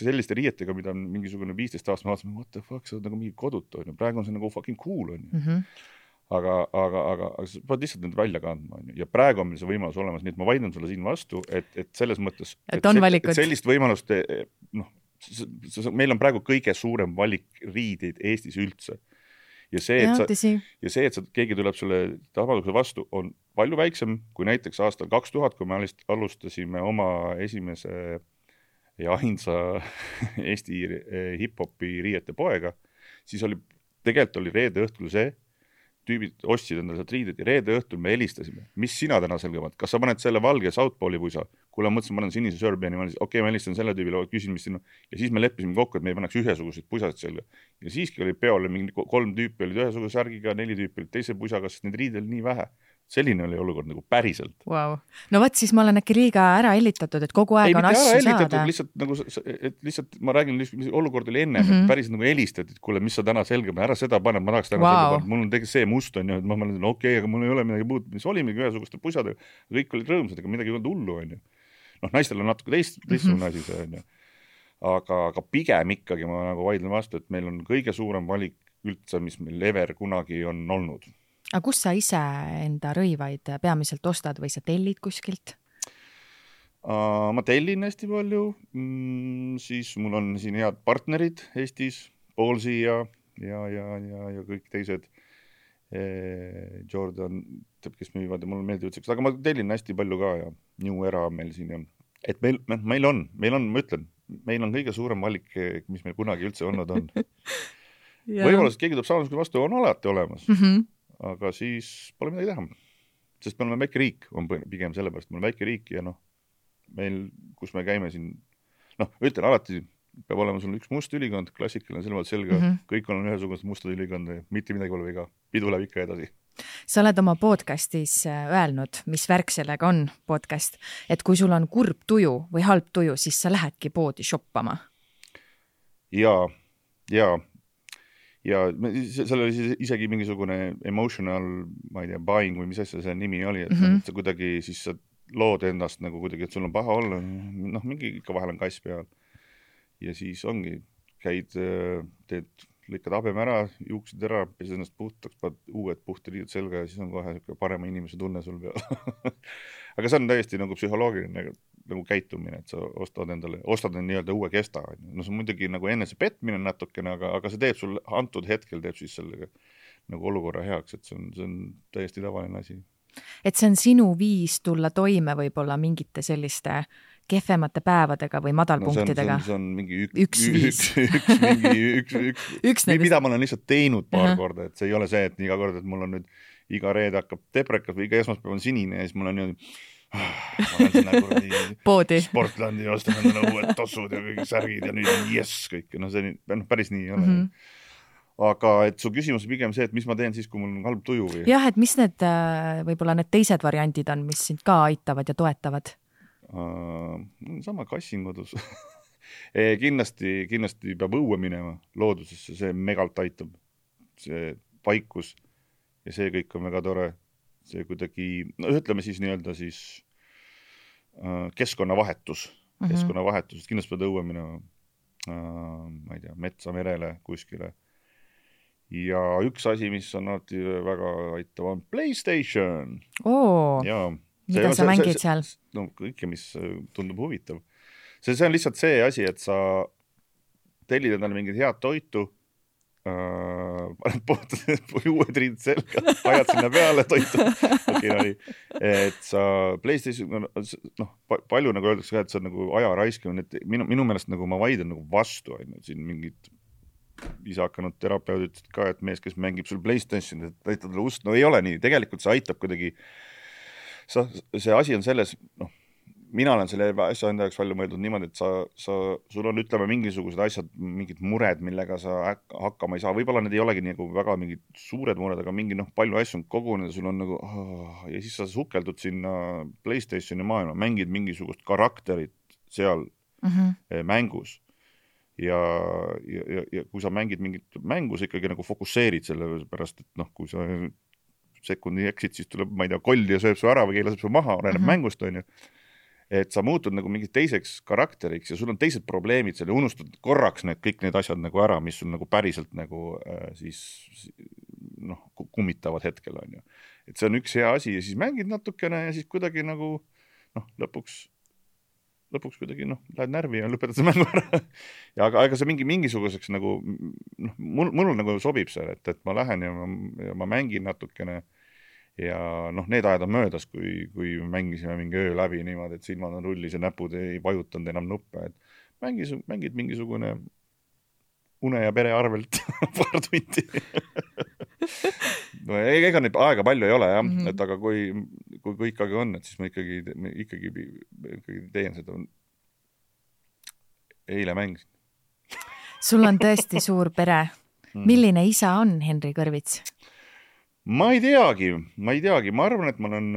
selliste riietega, mida on mingisugune 15 aastat, ma vaatasin, what the fuck, see on nagu mingi kodut, on ju. Praegu on see nagu fucking cool, on ju. Aga sa pead lihtsalt need välja kandma, on ju. Ja praegu on meil see võimalus olemas, nii et ma vaidlen sulle siin vastu, et selles mõttes, et sellist võimalust, noh, meil on praegu kõige suurem valik riideid Eestis üldse. Ja see, et keegi tuleb selle tabaduse vastu, on palju väiksem kui näiteks aastal 2000, kui me alustasime oma esimese ja ainsa Eesti hip-hopi riiete poega, siis tegelikult oli reede õhtul see, tüübid ostsid endale sealt riided ja reede õhtul me helistasime. Mis sina täna selgemad? Kas sa paned selle valge Southpooli pusa? Kuule, mõtlesin, ma panen sinise Serbiani, okei, ma helistan selle tüübile, küsin, mis sinna. Ja siis me leppisime kokku, et me ei paneks ühesuguseid pusad selga. Ja siiski oli peole, mingi 3 tüüpi olid ühesuguse särgiga, 4 tüüpi olid teise pusaga, sest need riidel nii vähe. Selline oli olukord nagu päriselt. Wow. No võt, siis ma olen äkki liiga ära hellitatud, et kogu aeg on asju saada. Lihtsalt ma räägin, mis olukord oli enne, et päriselt nagu helistad, et kuule, mis sa täna selgema, ära seda pane, ma tahaks täna selga panna. Mul on tegelikult see must on ju, et ma mõtlen, okei, aga mul ei ole midagi muud, mis olimegi ühesuguste pusadega, kõik olid rõõmsad, ega midagi ei olnud hullu on ju. Noh, naistel on natuke teistsugune asi see on ju. Aga pigem ikkagi ma nagu vaidlen vastu, et meil on kõige suurem valik üldse, mis meil ever kunagi on olnud. Aga kus sa ise enda rõivaid peamiselt ostad või sa tellid kuskilt? Ma tellin hästi palju, siis mul on siin head partnerid Eestis, Paulsi ja kõik teised, Jordan, kes müüvad ja mulle meeldib üldse, aga ma tellin hästi palju ka ja New Era meil siin ja et meil on, ma ütlen, meil on kõige suurem valik, mis meil kunagi üldse olnud on. Võimalus, et keegi tuleb saamisega vastu, on alati olemas. Aga siis pole midagi teha. Sest me oleme väike riik, on pigem sellepärast, me oleme väike riik ja noh, meil, kus me käime siin, noh, ütlen alati, peab olema sul üks must ülikond, klassikaline sellemalt selga, kõik on ühesugused mustad ülikond, mitte midagi pole viga, pidu läheb ikka edasi. Sa oled oma podcastis öelnud, mis värk sellega on podcast, et kui sul on kurb tuju või halb tuju, siis sa lähedki poodi shoppama. Ja seal oli isegi mingisugune emotional, ma ei tea, buying või mis asja see nimi oli, et sa kuidagi siis sa lood endast nagu kuidagi, et sul on paha olla, noh, mingi ikka vahel on kass peal. Ja siis ongi, käid, lõikad habeme ära, juuksid ära, pesed ennast puhtaks, paned uued puhtiriidud selga ja siis on kohe parema inimese tunne sul peal. Aga see on täiesti nagu psühholoogiline nagu käitumine, et sa ostad nii-öelda uue kesta. No see on muidugi nagu enese petmine natukene, aga see teeb sul antud hetkel teeb siis sellega nagu olukorra heaks, et see on täiesti tavaline asi. Et see on sinu viis tulla toime võib-olla mingite selliste kehvemate päevadega või madalpunktidega? See on mingi üks mida ma olen lihtsalt teinud paar korda, et see ei ole see, et iga kord, et mul on nüüd iga reede hakkab teprekas või iga esmaspäev on sinine ja siis mul on niimoodi ma olen sinna kuradi Sportlandi ostan endale uued tossud ja kõik särgid ja nüüd on kõik. No see päris nii ei ole. Aga et su küsimus on pigem see, et mis ma teen siis, kui mul on halb tuju või? Jah, et mis need võib-olla need teised variandid on, mis sind ka aitavad ja toetavad? Sama kassin kodus. Kindlasti peab õue minema loodusesse, see megalt aitab. See vaikus ja see kõik on väga tore. See kuidagi, no ütleme siis nii-öelda siis keskkonnavahetus, kindlasti pead õue minema, ma ei tea, metsa, merele, kuskile. Ja üks asi, mis on alati väga aitav, on PlayStation. Mida sa mängid seal? No kõike, mis tundub huvitav. See on lihtsalt see asi, et sa tellid endale mingit head toitu, uued riided selga, ajad sinna peale toitu. Et sa PlayStation, noh, palju nagu öeldakse ka, et see on nagu aja raiskamine, et minu meelest nagu ma vaidlen nagu vastu, siin mingid ise hakanud terapeudid ütlesid ka, et mees, kes mängib sul PlayStation, et aitad talle ust, no ei ole nii, tegelikult see aitab kuidagi, see asi on selles, noh, mina olen selle asja enda jaoks palju mõeldud niimoodi, et sul on, ütleme, mingisugused asjad, mingid mured, millega sa hakkama ei saa. Võib-olla need ei olegi nagu väga mingid suured mured, aga mingi palju asju on kogunenud, sul on nagu, ja siis sa sukeldud sinna PlayStationi maailma, mängid mingisugust karakterit seal mängus. Ja kui sa mängid mingit mängu, sa ikkagi nagu fokusseerid selle pärast, et noh, kui sa sekundi eksid, siis tuleb, ma ei tea, koll ja sööb su ära või keelaseb su maha, oleneb mängust, on ju. Et sa muutud nagu mingi teiseks karakteriks ja sul on teised probleemid seal ja unustad korraks kõik need asjad nagu ära, mis sul nagu päriselt nagu siis noh, kummitavad hetkel, on ju. Et see on üks hea asi ja siis mängid natukene ja siis kuidagi nagu noh, lõpuks kuidagi noh, lähed närvi ja lõpetad see mängu ära. Ja aga see mingisuguseks nagu noh, mul nagu sobib see, et ma lähen ja ma mängin natukene ja noh, need ajad on möödas, kui mängisime mingi öö läbi niimoodi, et silmad on rullis ja näpud ei vajutanud enam nuppe, et mängid mingisugune une ja pere arvelt paar tundi. No, ega neid aega palju ei ole jah, et aga kui ikkagi on, et siis ma ikkagi teen seda. Eile mängisin. Sul on tõesti suur pere. Milline isa on Henri Kõrvits? Ma ei teagi, ma arvan, et ma olen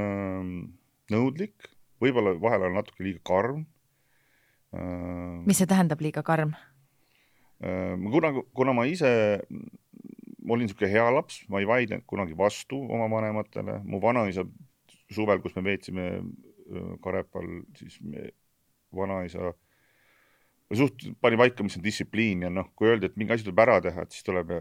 nõudlik, võib-olla vahel on natuke liiga karm. Mis see tähendab liiga karm? Kuna ma ise olin siuke hea laps, ma ei vaidnud kunagi vastu oma vanematele. Mu vanaisa suvel, kus me veetsime Karepal, siis vanaisa suht pani paika, mis on distsipliin ja noh, kui öeldi, et mingi asi tuleb ära teha, et siis tuleb,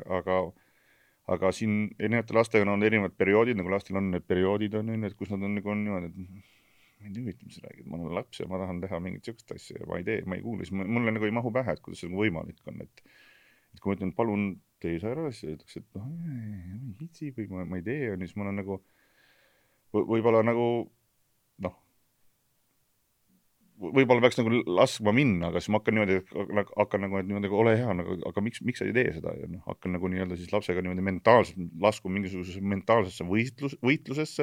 aga siin erinevate lastega on erinevad perioodid, nagu lastel on need perioodid, et kus nad on niimoodi, et ma ei tea, mis räägid, ma olen laps ja ma tahan teha mingit siukest asja ja ma ei kuule, siis mulle nagu ei mahu pähe, et kuidas see võimalik on, et kui ma ütlen, palun tee see ära, siis öeldakse, et noh, ei hitsi või ma ei tee, ja siis ma olen nagu võib-olla nagu noh, võib-olla peaks nagu laskma minna, aga siis ma hakkan niimoodi, et niimoodi, ole hea, aga miks sa ei tee seda? Ja noh, hakkan nagu nii-öelda siis lapsega niimoodi mentaalselt lasku mingisugusesse mentaalsesse võitlusesse.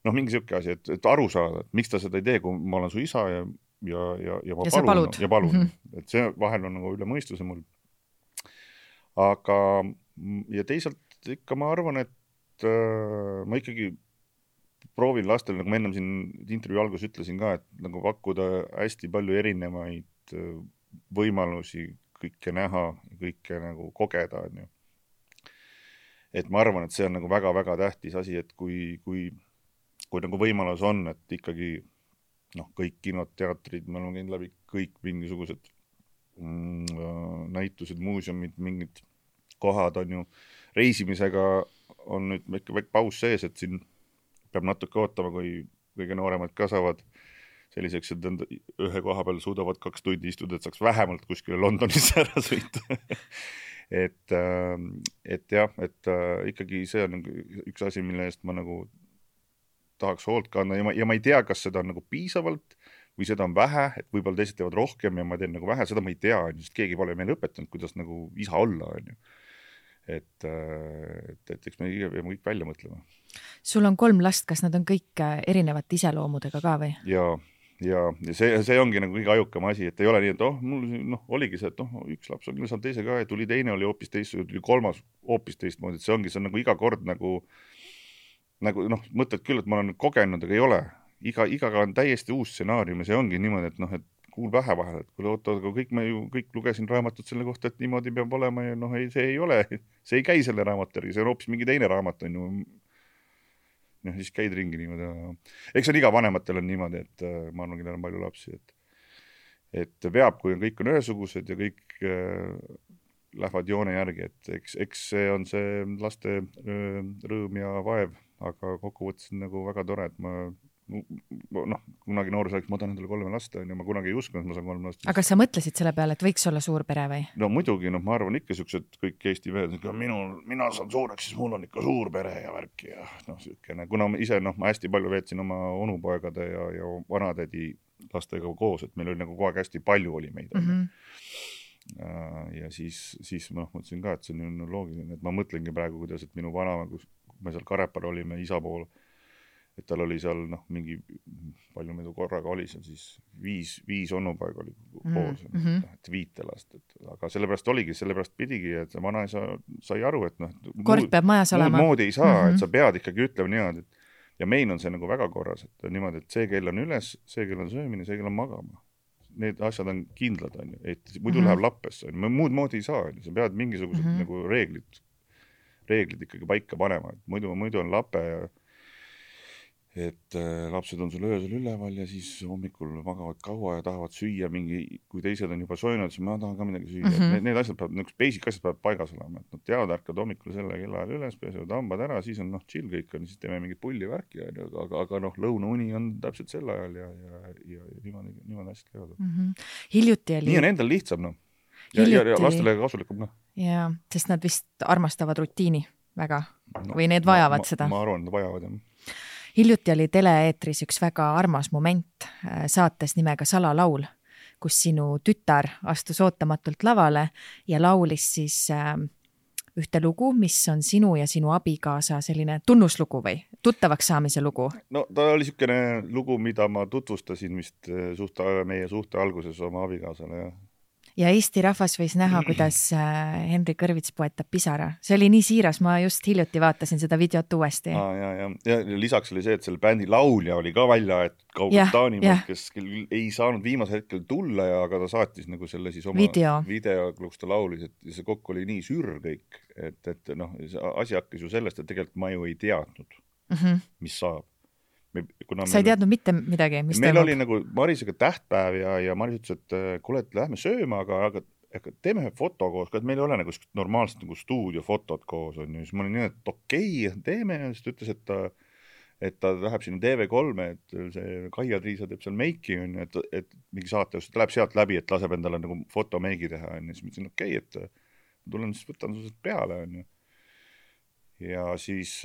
Noh, mingi siuke asi, et aru saada, et miks ta seda ei tee, kui ma olen su isa ja ma palun. Et see vahel on nagu üle mõistuse mul. Aga ja teisalt ikka ma arvan, et ma ikkagi proovin lastel, nagu ma ennem siin intervjuu algus ütlesin ka, et nagu pakkuda hästi palju erinevaid võimalusi kõike näha, kõike nagu kogeda. On ju. Et ma arvan, et see on nagu väga-väga tähtis asi, et kui nagu võimalus on, et ikkagi noh, kõik kinod, teatrid, me oleme käinud läbi kõik mingisugused näitused, muuseumid, mingid kohad on ju, reisimisega on nüüd väike paus sees, et siin peab natuke ootama, kui kõige nooremad kasvavad selliseks, et ühe koha peal suudavad 2 tundi istuda, et saaks vähemalt kuskile Londonisse ära sõita. et jah, et ikkagi see on üks asi, mille eest ma nagu tahaks hoolt kanda ja ma ei tea, kas seda on nagu piisavalt või seda on vähe, et võib-olla teised teevad rohkem ja ma teen nagu vähe, seda ma ei tea, sest keegi pole meil õpetanud, kuidas nagu isa olla, on ju. Et eks me peame kõik välja mõtlema. Sul on 3 last, kas nad on kõik erinevate iseloomudega ka või? Ja see ongi nagu kõige ajukam asi, et ei ole nii, et mul oligi see, et üks laps on küll saanud teise ka ja tuli teine, oli hoopis teist, tuli kolmas hoopis teistmoodi, et see on nagu iga kord nagu mõtled küll, et ma olen kogenud, aga ei ole. Igaga on täiesti uus stsenaarium ja see ongi niimoodi, et et kuul pähe vahel, et kui kõik lugesin raamatut selle kohta, et niimoodi peab olema ja see ei ole, see ei käi selle raamatärgi, see on hoopis mingi teine raamat, on ju. Siis käid ringi niimoodi. Eks on iga vanematel on niimoodi, et ma arvan, kellel on palju lapsi, et veab, kui kõik on ühesugused ja kõik lähevad joone järgi, et eks see on see laste rõõm ja vaev, aga kokkuvõttes on nagu väga tore, et ma kunagi noorus oleks, ma tahan endale 3 lasta ja ma kunagi ei uskunud, et ma saan 3 lasta. Aga sa mõtlesid selle peale, et võiks olla suur pere või? No muidugi, ma arvan ikka siuksed kõik Eesti mehed, mina saan suureks, siis mul on ikka suur pere ja värki ja siukene, kuna ise ma hästi palju veetsin oma onupoegade ja vanatädi lastega koos, et meil oli nagu kogu aeg hästi palju oli meid. Ja siis ma mõtlesin ka, et see on loogiline, et ma mõtlengi praegu, kuidas, et minu vana, kui me seal Karepal olime isa pool, et tal oli seal mingi, palju meid korraga oli seal siis 5 onupoega oli koos, et 5 last, aga sellepärast pidigi, et see vanaisa sai aru, et kord peab majas olema. Muud moodi ei saa, et sa pead ikkagi ütlema niimoodi, ja meil on see nagu väga korras, et niimoodi, et see kell on üles, see kell on söömine, see kell on magama. Need asjad on kindlad, et muidu läheb lappesse, muud moodi ei saa, sa pead mingisugused nagu reeglid ikkagi paika panema, et muidu on lape ja et lapsed on sul öösel üleval ja siis hommikul magavad kaua ja tahavad süüa kui teised on juba söönud, siis ma tahan ka midagi süüa. Need asjad peavad, niisugused basic asjad peavad paigas olema, et nad teavad, ärkad hommikul selle kellaajal üles, pesevad hambad ära, siis on chill kõik on, siis teeme mingit pullivärki, aga lõunauni on täpselt sel ajal ja niimoodi asjad käivad. Hiljuti oli... Nii on endal lihtsam, ja lastele kasulikum, Jaa, sest nad vist armastavad rutiini väga või need vajavad seda. Ma arvan, nad vajavad, jah. Hiljuti oli teleeetris üks väga armas moment saates nimega Salalaul, kus sinu tütar astus ootamatult lavale ja laulis siis ühte lugu, mis on sinu ja sinu abikaasa selline tunnuslugu või tuttavaks saamise lugu. No ta oli niisugune lugu, mida ma tutvustasin vist meie suhte alguses oma abikaasale, jah. Ja Eesti rahvas võis näha, kuidas Henri Kõrvits poetab pisara. See oli nii siiras, ma just hiljuti vaatasin seda videot uuesti. Ja lisaks oli see, et selle bändi laulja oli ka välja, et kaugelt Taanimaalt, kes ei saanud viimase hetkel tulla, aga ta saatis nagu selle siis oma video, kus ta laulis, et see kokku oli nii sür kõik, et asi hakkas ju sellest, et tegelikult ma ju ei teadnud, mis saab. Sa ei teadnud mitte midagi, mis meil oli nagu Marisega tähtpäev ja Maris ütles, et kuule, et lähme sööma, aga teeme ühe foto koos, et meil ei ole nagu normaalselt nagu stuudiofotot koos on ju, siis ma olin nii, et okei, teeme ja siis ta ütles, et ta läheb sinna TV3, et see Kaia Triisa teeb seal meiki on ju, et mingi saate, ta läheb sealt läbi, et laseb endale nagu fotomeigi teha on ju, siis ma ütlesin, okei, et tulen siis võtan su peale on ju. Ja siis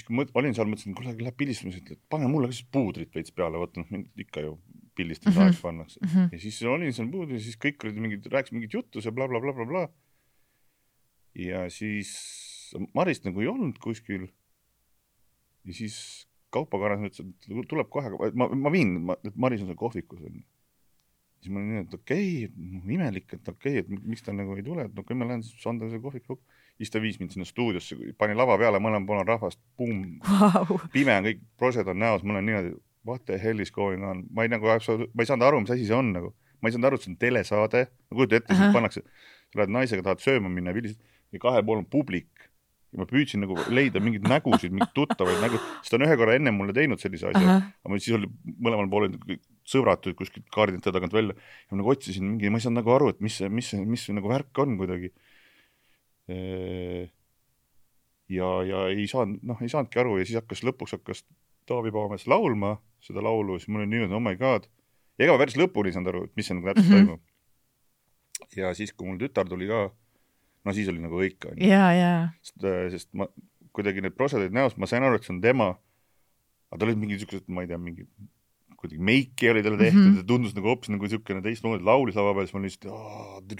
kui ma olin seal, mõtlesin, kuule, läheb pildistama, et pane mulle ka siis puudrit veits peale, võtta, ikka ju pildistamise aeg pannakse. Ja siis olin seal puudrit, siis kõik olid rääkis mingit juttu, see bla bla bla bla bla. Ja siis Marist nagu ei olnud kuskil. Ja siis kaupakaras ütles, et tuleb kohe, ma viin, et Maris on seal kohvikus. Siis ma olin nii, et okei, imelik, et okei, et miks ta nagu ei tule, et no kui ma lähen, siis anda see kohviku. Siis ta viis mind sinna stuudiosse, pani lava peale, mõlemad pool on rahvast, pum, pime on kõik, prosed on näos, mul on niimoodi, what the hell is going on, ma ei saanud aru, mis asi see on nagu, ma ei saanud aru, et see on telesaade, ma kujutan ette, siis pannakse, sa lähed naisega, tahad sööma minna ja kahel pool on publik ja ma püüdsin nagu leida mingeid nägusid, mingid tuttavaid nägu, sest ta on ühe korra enne mulle teinud sellise asja, aga siis oli mõlemal pool sõbrad kuskilt kaardinte tagant välja ja ma nagu otsisin mingi, ma ei saanud nagu aru, et mis nagu värk on kuidagi. Ja ei saanudki aru ja siis lõpuks hakkas Taavi Paames laulma seda laulu, siis mul oli nii, et oh my god. Ja ega ma päris lõpuni ei saanud aru, et mis see nagu täpselt toimub. Ja siis, kui mul tütar tuli ka, no siis oli nagu õik. Sest ma kuidagi need prosedid näost, ma sain aru, et see on tema, aga ta oli mingi niisugused, ma ei tea, mingi kuidagi meiki oli talle tehtud ja tundus nagu hoopis nagu niisugune teistmoodi laulis lava peal, siis ma lihtsalt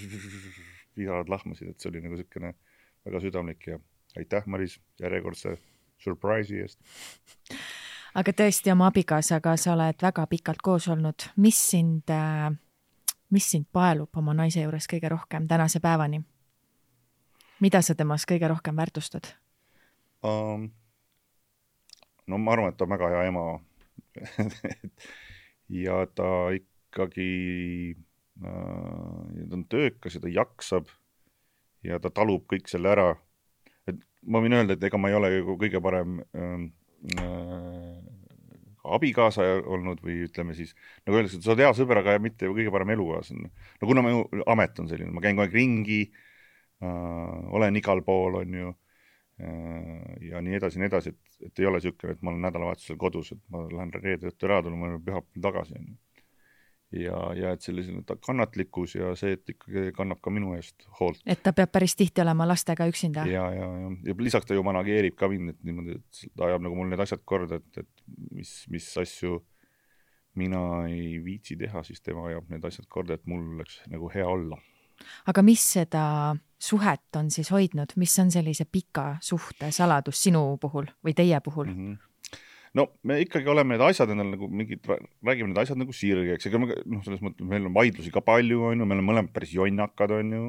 viharad lahmasid, et see oli nagu niisugune väga südamlik ja aitäh, Maris, järjekordse surprise'i eest. Aga tõesti oma abikaasaga sa oled väga pikalt koos olnud. Mis sind paelub oma naise juures kõige rohkem tänase päevani? Mida sa temas kõige rohkem väärtustad? No ma arvan, et ta on väga hea ema. Ja ta ikkagi ta on töökas ja ta jaksab ja ta talub kõik selle ära. Et ma võin öelda, et ega ma ei ole kõige parem abikaasa olnud või ütleme siis, nagu öeldakse, et sa oled hea sõber, aga mitte kõige parem elukaaslane. No kuna mu amet on selline, ma käin kogu aeg ringi, olen igal pool, on ju, ja nii edasi, et ei ole niisugune, et ma olen nädalavahetusel kodus, et ma lähen reede õhtu ära, tulen ma pühapäeval tagasi, on ju. Ja et selline kannatlikkus ja see, et ikkagi kannab ka minu eest hoolt. Et ta peab päris tihti olema lastega üksinda. Ja lisaks ta ju manageerib ka mind, et niimoodi, et ta ajab nagu mul need asjad korda, et mis asju mina ei viitsi teha, siis tema ajab need asjad korda, et mul oleks nagu hea olla. Aga mis seda suhet on siis hoidnud? Mis on sellise pika suhte saladus sinu puhul või teie puhul? No me ikkagi oleme need asjad endal nagu räägime need asjad nagu sirgeks, ega selles mõttes meil on vaidlusi ka palju, on ju, meil on mõlemad päris jonnakad, on ju,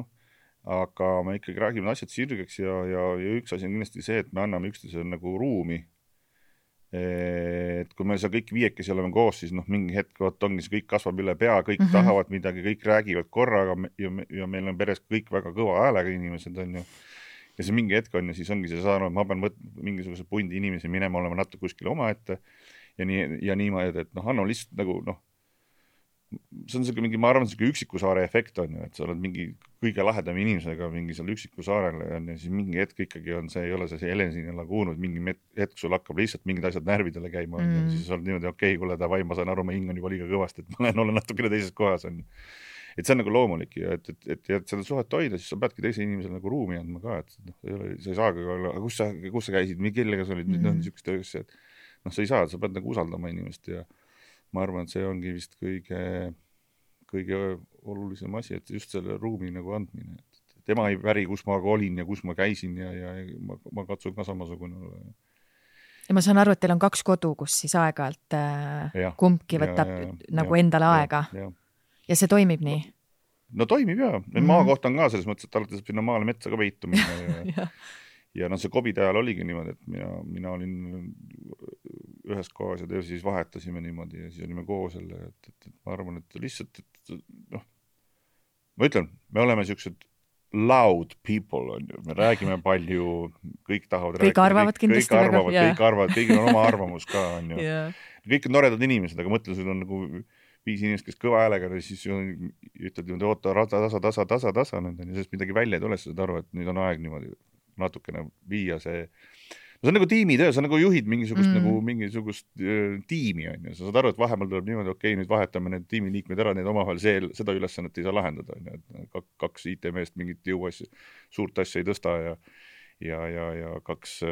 aga me ikkagi räägime asjad sirgeks ja üks asi on kindlasti see, et me anname üksteisele nagu ruumi. Et kui me seal kõik viiekesi oleme koos, siis mingi hetk ongi see kõik kasvab üle pea, kõik tahavad midagi, kõik räägivad korraga ja meil on peres kõik väga kõva häälega inimesed, on ju. ja see mingi hetk on ja siis ongi see saanud, ma pean mingisuguse pundi inimesi minema olema natuke kuskile omaette ja niimoodi, et noh, Hanno lihtsalt nagu noh, see on mingi, ma arvan, see üksiku saare efekt on ju, et sa oled mingi kõige lahedam inimesega mingi seal üksiku saarele ja siis mingi hetk ikkagi on see, ei ole see Helensini laguun, mingi hetk sul hakkab lihtsalt mingid asjad närvidele käima ja siis sa oled niimoodi, okei, kuule, davai, ma saan aru, ma hing on juba liiga kõvasti, et ma olen natukene teises kohas on ju. Et see on nagu loomulik ja et seda suhet hoida, siis sa peadki teise inimesele nagu ruumi andma ka, et noh, sa ei saagi olla, aga kus sa käisid, kellega sa olid, niisugust asja, et noh, sa ei saa, sa pead nagu usaldama inimest ja ma arvan, et see ongi vist kõige olulisem asi, et just selle ruumi nagu andmine. Tema ei väri, kus ma olin ja kus ma käisin ja ma katsun ka samasugune olla. Ja ma saan aru, et teil on 2 kodu, kus siis aeg-ajalt kumbki võtab nagu endale aega. Ja see toimib nii? No toimib jah. Maakoht on ka selles mõttes, et alati saab sinna maale metsa ka peitu minna. Ja noh, see COVID ajal oligi niimoodi, et mina olin ühes kohas ja siis vahetasime niimoodi ja siis olime koos jälle, et ma arvan, et lihtsalt, et noh, ma ütlen, me oleme sellised loud people, on ju, me räägime palju, kõik tahavad kõik rääkida. Arvavad kindlasti kõik arvavad, kõigil on oma arvamus ka, on ju. Kõik on noredad inimesed, aga mõtle, sul on nagu 5 inimest, kes kõva häälega, siis ütled niimoodi, oota, tasa, sest midagi välja ei tule, sa saad aru, et nüüd on aeg niimoodi natukene viia see. No see on nagu tiimitöö, sa nagu juhid mingisugust tiimi, on ju. Sa saad aru, et vahepeal tuleb niimoodi, okei, nüüd vahetame need tiimiliikmed ära, need omavahel seda ülesannet ei saa lahendada, on ju. 2 IT-meest mingit jõuasja, suurt asja ei tõsta ja 2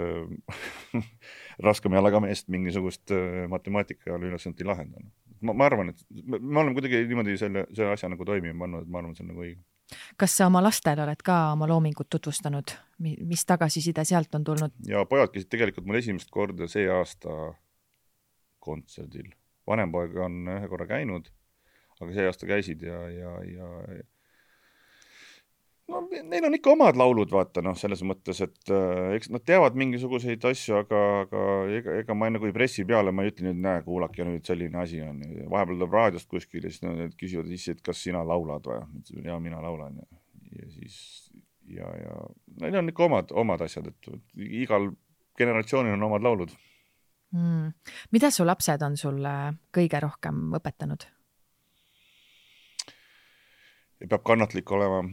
raskema jalaga meest mingisugust matemaatika ülesannet ei lahenda. Ma arvan, et me oleme kuidagi niimoodi selle asja nagu toimima pannud, et ma arvan, et see on nagu õige. Kas sa oma lastel oled ka oma loomingut tutvustanud? Mis tagasiside sealt on tulnud? Ja pojad käisid tegelikult mul esimest korda see aasta kontserdil. Vanem poeg on ühe korra käinud, aga see aasta käisid ja no, neil on ikka omad laulud, vaata, noh, selles mõttes, et eks nad teavad mingisuguseid asju, aga ega ma nagu ei pressi peale, ma ei ütle nüüd, näe, kuulake nüüd selline asi on. Vahepeal tuleb raadiost kuskil ja siis nad küsivad ise, et kas sina laulad või? Ja mina laulan. Ja siis, ja neil on ikka omad asjad, et igal generatsioonil on omad laulud. Mida su lapsed on sulle kõige rohkem õpetanud? Peab kannatlik olema.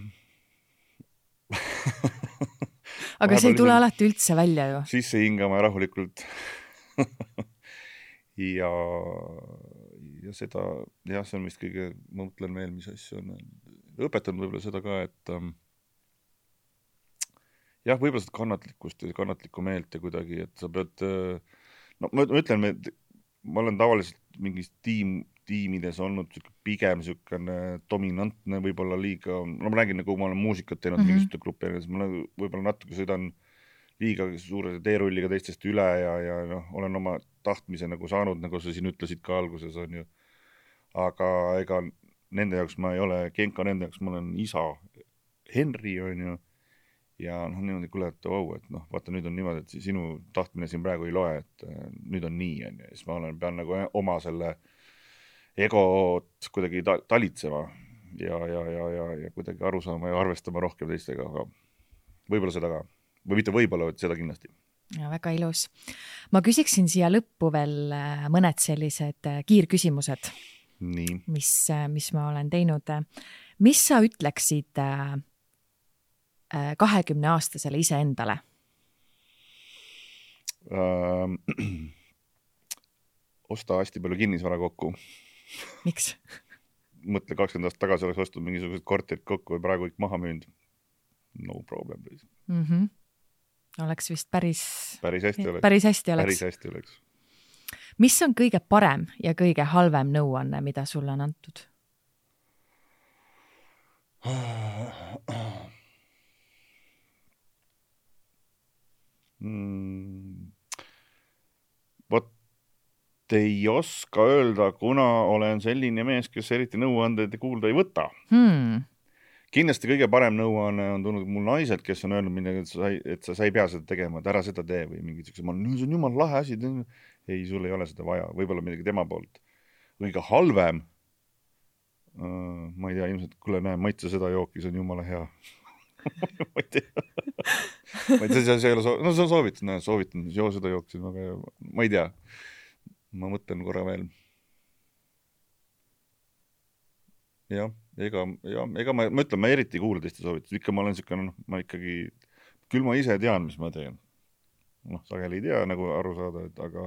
Aga see ei tule alati üldse välja ju. Sisse hingama ja rahulikult. ja seda, jah, see on vist kõige, ma mõtlen veel, mis asju on õpetanud võib-olla seda ka, et jah, võib-olla seda kannatlikkust ja kannatlikku meelt ja kuidagi, et sa pead, no ma ütlen, ma olen tavaliselt mingis tiimides olnud pigem dominantne, võib-olla liiga, no ma räägin, nagu ma olen muusikat teinud mingisuguse grupi, ma võib-olla natuke sõidan liiga suure teerulliga teistest üle ja noh, olen oma tahtmise nagu saanud, nagu sa siin ütlesid ka alguses, on ju. Aga ega nende jaoks ma ei ole Genka, nende jaoks ma olen isa Henri, on ju. Ja noh, niimoodi kuule, et et noh, vaata, nüüd on niimoodi, et sinu tahtmine siin praegu ei loe, et nüüd on nii, on ju. Ja siis ma pean nagu oma selle egot kuidagi talitsema ja kuidagi aru saama ja arvestama rohkem teistega, aga võib-olla seda ka. Või mitte võib-olla, et seda kindlasti. Ja, väga ilus. Ma küsiksin siia lõppu veel mõned sellised kiirküsimused, nii. Mis ma olen teinud. Mis sa ütleksid 20-aastasele ise endale? Osta hästi palju kinnisvara kokku. Miks? Mõtle 20 aastat tagasi oleks ostunud mingisugused korterid kokku ja praegu kõik maha müünud. No problem. Oleks vist päris hästi oleks. Päris hästi oleks. Mis on kõige parem ja kõige halvem nõuanne, mida sulle on antud? Vot ei oska öelda, kuna olen selline mees, kes eriti nõuandeid kuulda ei võta. Kindlasti kõige parem nõuanne on tulnud mul naised, kes on öelnud midagi, et sa ei pea seda tegema, et ära seda tee või mingid siuksed, see on jumal lahe asi, ei, sul ei ole seda vaja, võib-olla midagi tema poolt. Kõige halvem, ma ei tea, ilmselt, kuule näe, maitse seda jooki, see on jumala hea. ma ei tea. See ei ole no see on soovitan, joo seda jooksin, aga ma ei tea. Ma mõtlen korra veel. Jah, ega ma ütlen, ma eriti kuule teiste soovitus. Ikka ma olen selline, ma ikkagi, küll ma ise tean, mis ma teen. Sageli ei tea nagu aru saada, aga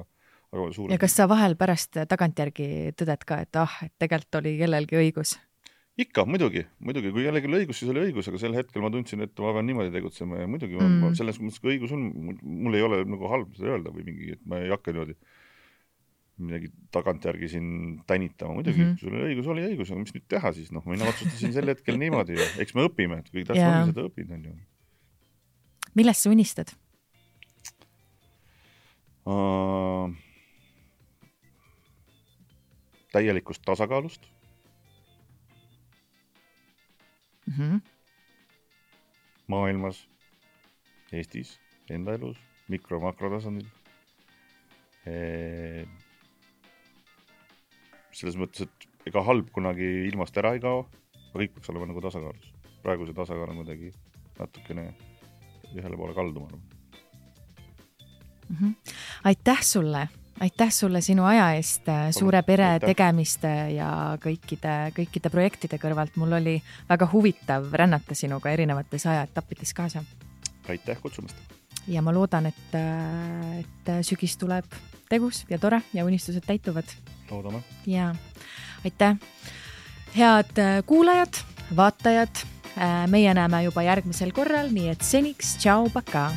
suur. Ja kas sa vahel pärast tagantjärgi tõded ka, et et tegelikult oli kellelgi õigus? Ikka, muidugi, kui jällegi oli õigus, siis oli õigus, aga sel hetkel ma tundsin, et ma pean niimoodi tegutsema ja muidugi selles mõttes, kui õigus on, mul ei ole nagu halb seda öelda või mingi, et ma ei hakka niimoodi midagi tagantjärgi siin tänitama. Muidugi, sul oli õigus, aga mis nüüd teha siis? Mina otsustasin sel hetkel niimoodi ja eks me õpime, et kui tähtsam on seda õpida. Millest sa unistad? Täielikust tasakaalust. Maailmas, Eestis, enda elus, mikro-makrotasandil. Selles mõttes, et ega halb kunagi ilmast ära ei kao, aga kõik peaks olema nagu tasakaalus. Praegu see tasakaal on kuidagi natukene ühele poole kalduma. Aitäh sulle sinu aja eest, suure pere tegemiste ja kõikide projektide kõrvalt. Mul oli väga huvitav rännata sinuga erinevates ajaetappides kaasa. Aitäh kutsumast. Ja ma loodan, et sügis tuleb tegus ja tore ja unistused täituvad. Loodame. Ja aitäh. Head kuulajad, vaatajad, meie näeme juba järgmisel korral, nii et seniks, tšau, paka!